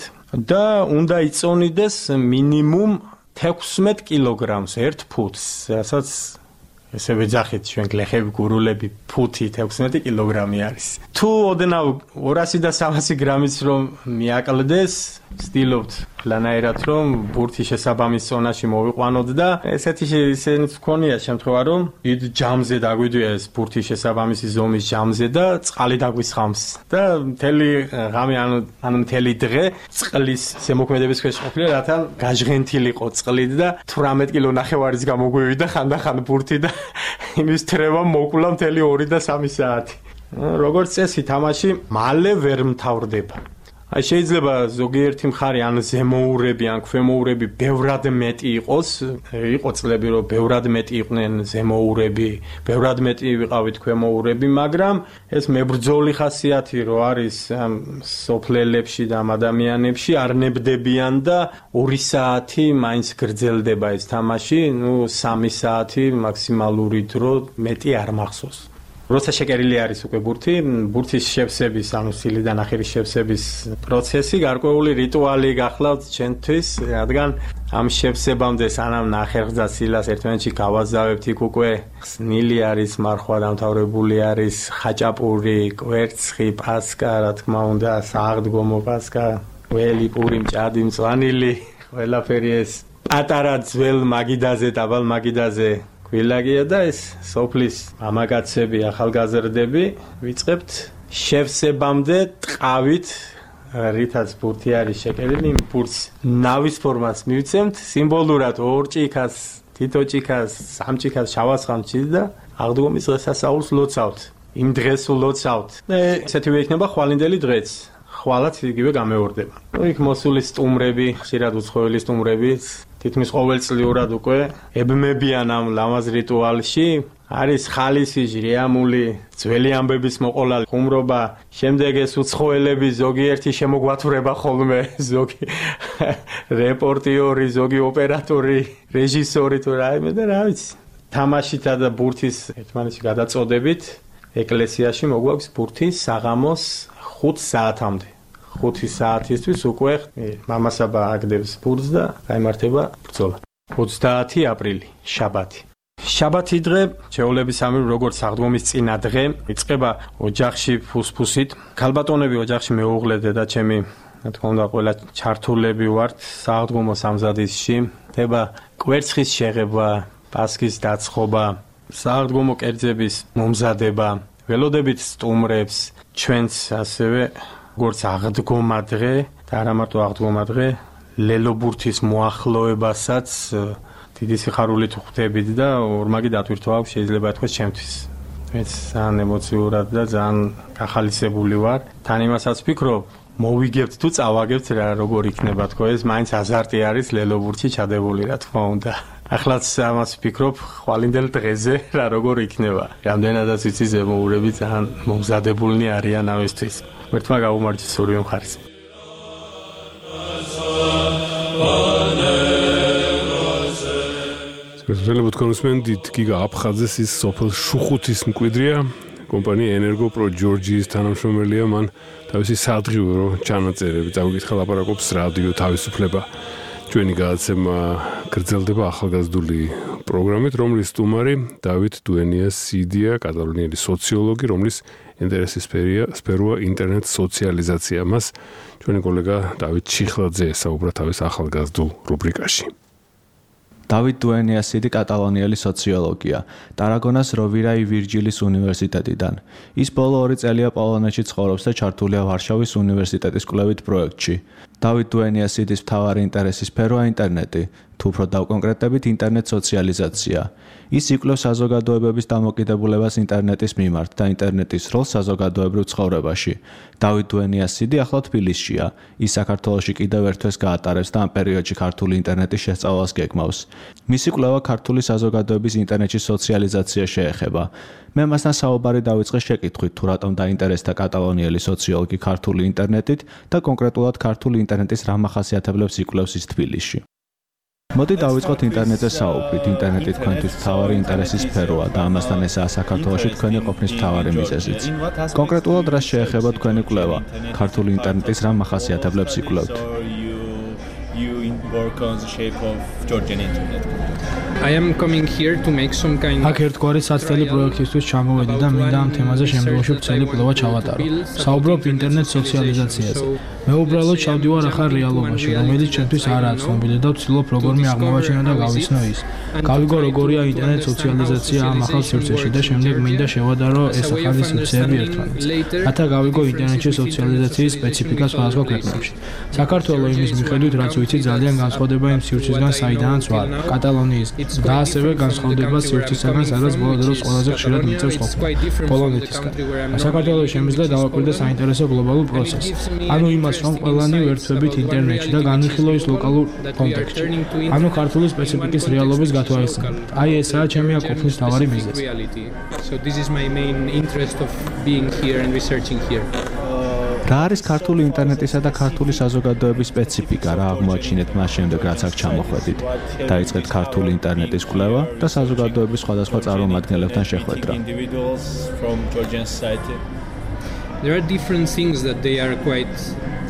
და უნდა იწონიდეს მინიმუმ 16 კილოგრამს 1 ფუტს, რასაც ესე ვეძახით ჩვენ გლეხები, გურულები, ფუთი 16 კილოგრამი არის. თუ ოდნავ 200 და 300 გრამის რომ მიაკლდეს, ვცდილობთ ლანაერად რომ ბურთი შესაბამის ზონაში მოვიყვანოთ და ესეთი ისენიც მქონია შემთხვევა რომ დიდ ჯამზე დაგვიდია ეს ბურთი შესაბამისი ზომის ჯამზე და წყალი დაგვისხამს და მთელი ღამე ან მთელი დღე წყლის ზემოქმედების ქვეშ ყოფილა, რათა გაჟღენთილიყო წყლით და 18 კილო ნახევარის გამოგვივიდა ხანდახან ბურთი და იმის თრევა მოკულა მთელი 2 და 3 საათი. როგორც წესი თამაში მალე ვერ მთავრდება. აი შეიძლება ზოგიერთი მხარე ან ზემოურები ან ქვემოურები ბევრად მეტი იყოს, იყო წლები რომ ბევრად მეტი იყვნენ ზემოურები, ბევრად მეტი ვიყავით ქვემოურები, მაგრამ ეს მებრძოლი ხასიათი რო არის ამ სოფლელებში და ამ ადამიანებში არ ნებდებიან და 2 საათი მაინც გრძელდება ეს თამაში, 3 საათი მაქსიმალური დრო, მეტი არ მახსოვს. როცა შეკერილი არის უკვე ბურთი, ბურთის შევსების, ანუ სილიდან ახირის შევსების პროცესი, გარკვეული რიტუალი გახლავთ ჩვენთვის, რადგან ამ შევსებამდე სანამ ნახერხს და სილას ერთმანეთში გავაზავებთ, იქ უკვე ხსნილი არის, მარხვა დამთავრებული არის, ხაჭაპური, კვერცხი, პასკა, რა თქმა უნდა, სააღდგომო პასკა, ველი, პური, მჭადი, მწვანილი, ყველაფერი ეს პატარა ძველ მაგიდაზე, დაბალ მაგიდაზე ვილაგია და ეს სოფლის მამაკაცები, ახალგაზრდები ვიწყებთ შევსებამდე ტყავით რითაც ბურთი არის შეკერილი, იმ ბურთს ნავის ფორმას მივცემთ, სიმბოლურად 2 ჭიქას, თითო ჭიქას, 3 ჭიქას შავასხამჩის და აღდგომის დღესასწაულს ლოცავთ. იმ დღეს ლოცავთ. და ესეთივე იქნება ხვალინდელი დღეც. ხვალაც იგივე გამეორდება. იქ მოსული სტუმრები, ხშირად უცხოელი სტუმრები, თითქმის ყოველწლიურად უკვე ებმებიან ამ ლამაზ რიტუალში. არის ხალისი, ჟრიამული, ძველი ამბების მოყოლალი, ხუმრობა, შემდეგ ეს უცხოელები ზოგიერთი შემოგვათვრება ხოლმე, ზოგი რეპორტიორი, ზოგი ოპერატორი, რეჟისორი თუ რაიმე და რა ვიცი. თამაშითა და ბურთის ერთმანეთში გადაწოდებით ეკლესიაში მოგვაქვს ბურთი საღამოს 5 საათამდე. 5 საათისთვის უკვე მამასაბა აგდებს ბურთს და გაიმართება ბრძოლა. 30 აპრილი, შაბათი. შაბათი დღე, ჩვეულებისამებრ როგორც აღდგომის წინა დღე, იწყება ოჯახში ფუსფუსით. ქალბატონები ოჯახში მეუღლე და ჩემი, რა თქმა უნდა, ყველა ჩართულები ვართ სააღდგომო სამზადისში. ხდება კვერცხის შეღება, პასქის დაცხობა, სააღდგომო კერძების მომზადება, ველოდებით სტუმრებს, ჩვენც ასევე როგორც აღდგომა დღე და არა მარტო აღდგომა დღე, ლელობურთის მოახლოებასაც დიდი სიხარულით ხვდებით და ორმაგი დატვირთვა აქვს შეიძლება ითქვას ჩემთვის. მეც ძალიან ემოციურად და ძალიან გახალისებული ვარ. თან იმასაც ვფიქრობ, მოვიგებთ თუ წავაგებთ რა როგორ იქნება თქო ეს მაინც აზარტი არის ლელობურთში ჩადებული რა თქმა უნდა. ახლაც ამას ვფიქრობ ხვალინდელ დღეზე რა როგორ იქნება. რამდენადაც ვიცი ზემოურები ძალიან მომზადებულნი არიან ამისთვის. ერთმა გაუმარჯოს ორივე მხარეს. სპეციალურად კონსუმენტით გიგა აფხაძეს ის სოფელ შუხუთის მკვიდრია, კომპანია ენერგოპრო ჯორჯიის თანამშრომელია, მან თავისი სადღიურო ჩანაწერები წავიკითხა ლაპარაკობს რადიო თავისუფლება. ჩვენი გადაცემა გრძელდება ახალგაზრდული პროგრამით, რომლის სტუმარი დავით დუენია-სიდია, კატალონიელი სოციოლოგი, რომლის ინტერესის სფეროა ინტერნეტ სოციალიზაცია. მას ჩვენი კოლეგა დავით ჩიხლაძე ესაუბრა თავის ახალგაზრდულ რუბრიკაში. დავით დუენია-სიდი კატალონიელი სოციოლოგია, ტარაგონას როვირა ი ვირჯილის უნივერსიტეტიდან. ის ბოლო 2 წელია პოლონეთში ცხოვრობს და ჩართულია ვარშავის უნივერსიტეტის კვლევით პროექტში. დავით დუენია-სიდის მთავარი ინტერესის სფეროა ინტერნეტი, თუ უფრო დავკონკრეტებით ინტერნეტ სოციალიზაცია. ის იკვლევს საზოგადოებების დამოკიდებულებას ინტერნეტის მიმართ და ინტერნეტის როლს საზოგადოებრივ ცხოვრებაში. დავით დუენია-სიდი ახლა თბილისშია. ის საქართველოში კიდევ ერთვეს გაატარებს და ამ პერიოდში ქართული ინტერნეტის შესწავლას გეგმავს. მისი კვლევა ქართული საზოგადოების ინტერნეტში სოციალიზაცია შეეხება. მე მასთან საუბარი დავიწყე შეკითხვით, თუ რატომ დაინტერესდა კატალონიელი სოციოლოგი ქართული ინტერნეტით და კონკრეტულად ქართული ინტერნეტის რა მახასიათებლებს იკვლევს ის თბილისში. მოდი დავიწყოთ ინტერნეტზე საუბრით. ინტერნეტი თქვენთვის მთავარი ინტერესის სფეროა და ამასთან ესაა საქართველოში თქვენი ყოფნის მთავარი მიზეზიც. კონკრეტულად რა შეეხება თქვენი კვლევა? ქართული ინტერნეტის რა მახასიათებლებს იკვლევთ? I am coming here to make some kind of ერთგვარი საცდელი პროექტისთვის ჩამოვედი და მინდა ამ თემაზე შემდგომში ვრცელი კვლევა ჩავატარო. საუბრობ ინტერნეტ სოციალიზაციაზე. მე უბრალოდ ჩავდივარ ახალ რეალობაში, რომელიც ჩვენთვის არაა ცნობილი და ვცდილობ როგორმე აღმოვაჩინო და გავიცნო ის. გავიგო როგორია ინტერნეტ სოციალიზაცია ამ ახალ სივრცეში და შემდეგ მინდა შევადარო ეს ახალი სივრცეები ერთმანეთს. რათა გავიგო ინტერნეტში სოციალიზაციის სპეციფიკა სხვადასხვა ქვეყნებში. საქართველოს იმის მიხედვით, რაც ვიცი, ძალიან განსხვავდება იმ სივრცისგან, საიდანაც ვარ, კატალონიის და ასევე განსხვავდება სივრცისგან, სადაც ბოლო დროს ყველაზე ხშირად მიწევს ყოფნა, პოლონეთისგან. საქართველოს შემიძლია დავაკვირდე საინტერესო გლობალურ პროცესს. ანუ იმას, რომ ყველანი ვერთვებით ინტერნეტში და განვიხილო ის ლოკალურ კონტექსტში. ანუ ქართული სპეციფიკის რეალობის გათვალისწინებით. აი ესაა ჩემი აკופნის მთავარი მიზეზი. So this is my main interest of being here and researching here. რა არის ქართული ინტერნეტისა და ქართული საზოგადოების სპეციფიკა, რა აღმოაჩინეთ მას შემდეგ, რაც აქ ჩამოხვედით? დაიწყეთ ქართული ინტერნეტის კვლევა და საზოგადოების სხვადასხვა წარმომადგენლებთან შეხვედრა. There are different things that they are quite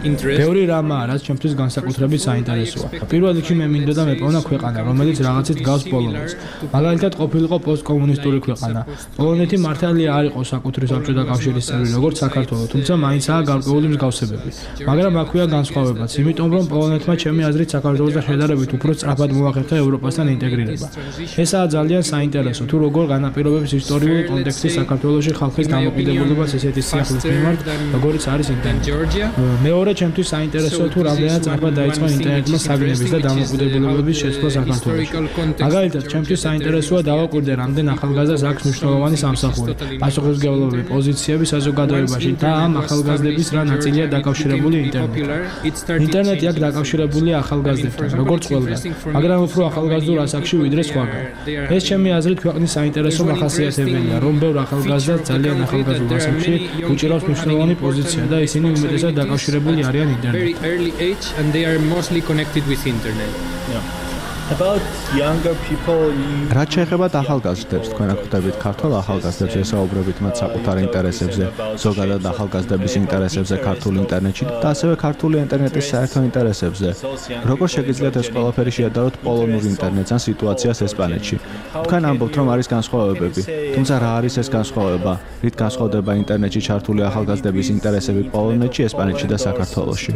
ბევრი რამაა, რაც ჩემთვის განსაკუთრებით საინტერესოა. პირველ რიგში მე მინდოდა მეპოვნა ქვეყანა, რომელიც რაღაცით გავს პოლონეთს. მაგალითად, ყოფილიყო პოსტკომუნისტური ქვეყანა. პოლონეთი მართალია არ იყო საკუთრივ საბჭოთა კავშირის წევრი, როგორც საქართველო, თუმცა მაინცაა გარკვეული მსგავსებები. მაგრამ აქვეა განსხვავებაც, იმიტომ რომ პოლონეთმა ჩემი აზრით საქართველოსთან შედარებით უფრო სწრაფად მოახერხა ევროპასთან ინტეგრირება. ესაა ძალიან საინტერესო, თუ როგორ განაპირობებს ისტორიული კონტექსტი საქართველოში ხალხის დამოკიდებულებას ესეთი სიახლის მიმართ, როგორიც არის ინტერნეტი. მეორე მეორე ჩემთვის საინტერესოა თუ რამდენად სწრაფად დაიწყო ინტერნეტმა საგნების და დამოკიდებულებების შეცვლა საქართველოში. მაგალითად, ჩემთვის საინტერესოა დავაკვირდე რამდენ ახალგაზრდას აქვს მნიშვნელოვანი სამსახური, პასუხისმგებლობები, პოზიციები საზოგადოებაში და ამ ახალგაზრდების რა ნაწილია დაკავშირებული ინტერნეტთან. ინტერნეტი აქ დაკავშირებულია ახალგაზრდებთან, როგორც ყველგან, მაგრამ უფრო ახალგაზრდულ ასაკში ვიდრე სხვაგან. ეს ჩემი აზრით ქვეყნის საინტერესო მახასიათებელია, რომ ბევრ ახალგაზრდას ძალიან ახალგაზრდულ ასაკში უჭირავს მნიშვნელოვანი პოზიცია და ისინი უმეტესად დაკავშირებული არიან ინტერნეტთან. About younger people რაც შეეხება ახალგაზრდებს, თქვენ აქ ხვდებით ქართულ ახალგაზრდებს ესაუბრებით მათ საკუთარ ინტერესებზე, ზოგადად ახალგაზრდების ინტერესებზე ქართულ ინტერნეტში და ასევე ქართული ინტერნეტის საერთო ინტერესებზე. როგორ შეგიძლიათ ეს ყველაფერი შეადაროთ პოლონურ ინტერნეტს ან სიტუაციას ესპანეთში? თქვენ ამბობთ, რომ არის განსხვავებები, თუმცა რა არის ეს განსხვავება? რით განსხვავდება ინტერნეტში ჩართული ახალგაზრდების ინტერესები პოლონეთში, ესპანეთში და საქართველოში?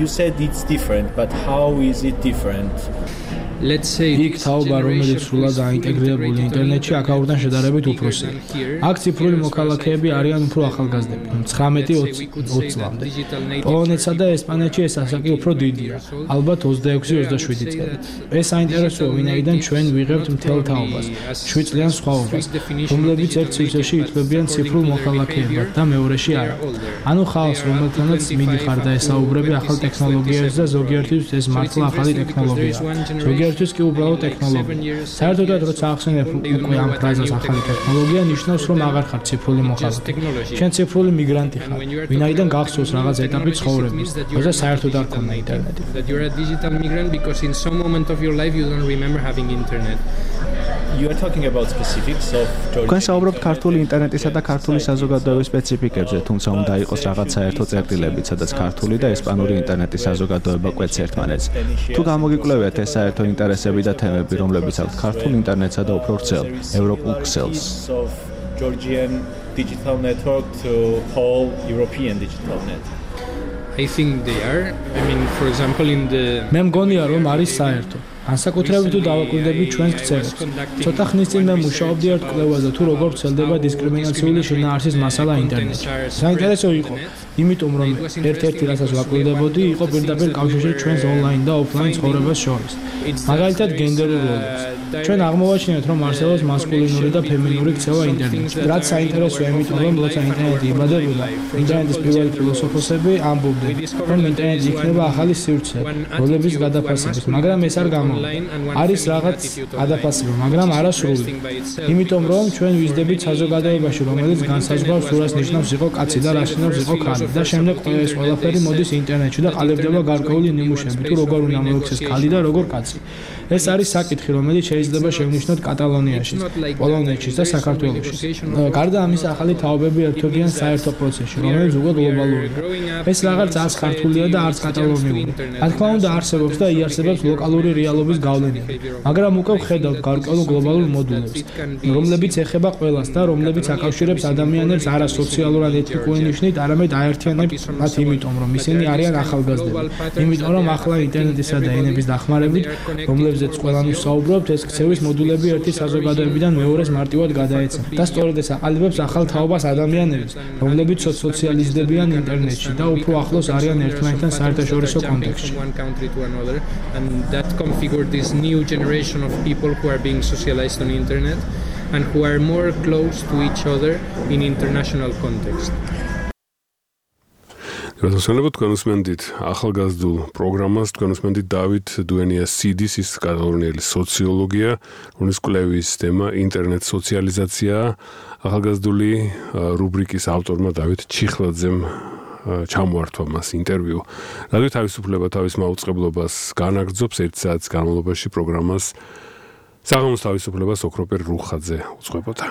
You said it's different, but how is it different? იქ თაობა, რომელიც სრულად დაინტეგრირებული ინტერნეტში აქაურთან შედარებით უფროსია. აქ ციფრული მოქალაქეები არიან უფრო ახალგაზრდები, 19-20 წლამდე. პოლონეთსა და ესპანეთში ეს ასაკი უფრო დიდია, ალბათ 26-27 წელი. ეს საინტერესოა, ვინაიდან ჩვენ ვიღებთ მთელ თაობას, 7 წლიან სხვაობას, რომლებიც ერთ სივრცეში ითვლებიან ციფრულ მოქალაქეებად და მეორეში არა. ანუ ხალხს, რომელთანაც მიდიხარ და ესაუბრები ახალ ტექნოლოგიებზე და ზოგიერთისთვის ეს მართლა ახალი ტექნოლოგია. ზოგიერთთვის კი უბრალოდ ტექნოლოგია. საერთოდ როცა ახსენებ უკვე ამ ფრაზას ახალი ტექნოლოგია, ნიშნავს რომ აღარ ხარ ციფრული მოხალხე. შენ ციფრული მიგრანტი ხარ, ვინაიდან გახსოვს რაღაც ეტაპი ცხოვრების, როცა საერთოდ არ ქონდა ინტერნეტი. You are talking about specifics of Georgia. თქვენ საუბრობთ ქართული ინტერნეტისა და ქართული საზოგადოების სპეციფიკებზე, თუმცა უნდა იყოს რაღაც საერთო წერტილებიც, სადაც ქართული და ესპანური ინტერნეტის საზოგადოება კვეთს ერთმანეთს. თუ გამოგიკვლევიათ ეს საერთო ინტერესები და თემები, რომლებიც აქვს ქართულ ინტერნეტსა და უფრო ვრცელ ევროპულ ქსელს. Georgian digital network to whole European digital net. I think they are. I mean, for example, in the მე მგონია რომ არის საერთო. განსაკუთრებით თუ დავაკვირდებით ჩვენს ქცევებს. ცოტა ხნის წინ მე მუშაობდი ერთ კვლევაზე თუ როგორ ვრცელდება დისკრიმინაციული შინაარსის მასალა ინტერნეტში. საინტერესო იყო, იმიტომ რომ ერთ-ერთი რასაც ვაკვირდებოდი იყო პირდაპირ კავშირი ჩვენს ონლაინ და ოფლაინ ცხოვრებას შორის. მაგალითად გენდერულ როლებს. ჩვენ აღმოვაჩინეთ, რომ არსებობს მასკულინური და ფემინური ქცევა ინტერნეტში. რაც საინტერესოა, იმიტომ რომ როცა ინტერნეტი იბადებოდა, ინტერნეტის პირველი ფილოსოფოსები ამბობდნენ, რომ ინტერნეტი იქნება ახალი სივრცე, როლების გადაფასების, მაგრამ ეს არ გამოვიდა. არის რაღაც გადაფასება, მაგრამ არასრული. იმიტომ რომ ჩვენ ვიზრდებით საზოგადოებაში, რომელიც განსაზღვრავს თუ რას ნიშნავს იყო კაცი და რას ნიშნავს იყო ქალი და შემდეგ ეს ყველაფერი მოდის ინტერნეტში და ყალიბდება გარკვეული ნიმუშები, თუ როგორ უნდა მოიქცეს ქალი და როგორ კაცი. ეს არის საკითხი, რომელიც შეიძლება შევნიშნოთ კატალონიაში, პოლონეთში და საქართველოში. გარდა ამისა, ახალი თაობები ერთობიან საერთო პროცესში, რომელიც უკვე გლობალურია. ეს რაღაც არც ქართულია და არც კატალონიური. რა თქმა უნდა, არსებობს და იარსებებს ლოკალური რეალობის გავლენები, მაგრამ უკვე ვხედავთ გარკვეულ გლობალურ მოდულებს, რომლებიც ეხება ყველას და რომლებიც აკავშირებს ადამიანებს არა სოციალურად ეთნიკური ნიშნით, არამედ აერთიანებს მათ იმიტომ, რომ ისინი არიან ახალგაზრდები. იმიტომ რომ ახლა ინტერნეტისა და ენების დახმარებით, რომლებზეც ყველანი ვსაუბრობთ, ეს ქცევის მოდულები ერთი საზოგადოებიდან მეორეს მარტივად გადაეცემა და სწორედ ეს აყალიბებს ახალ თაობას ადამიანებს, რომლებიც სოციალიზდებიან ინტერნეტში და უფრო ახლოს არიან ერთმანეთთან საერთაშორისო კონტექსტში. Configure this new generation of people who are being socialized on internet and who are more close to each other in international context. გასასწორებლად თქვენ უსმენთ ახალგაზრდულ პროგრამას, თქვენ უსმენთ დავით დუენიას CD-ს, ის კატალონიელი სოციოლოგია, რომლის კვლევის თემა ინტერნეტ სოციალიზაცია. ახალგაზრდული რუბრიკის ავტორმა დავით ჩიხლაძემ ჩამოართვა მას ინტერვიუ. რადიო თავისუფლება თავის მაუწყებლობას განაგრძობს 1 საათის განმავლობაში პროგრამას საღამოს თავისუფლებას ოქროპერ რუხაძე უძღვებოდა.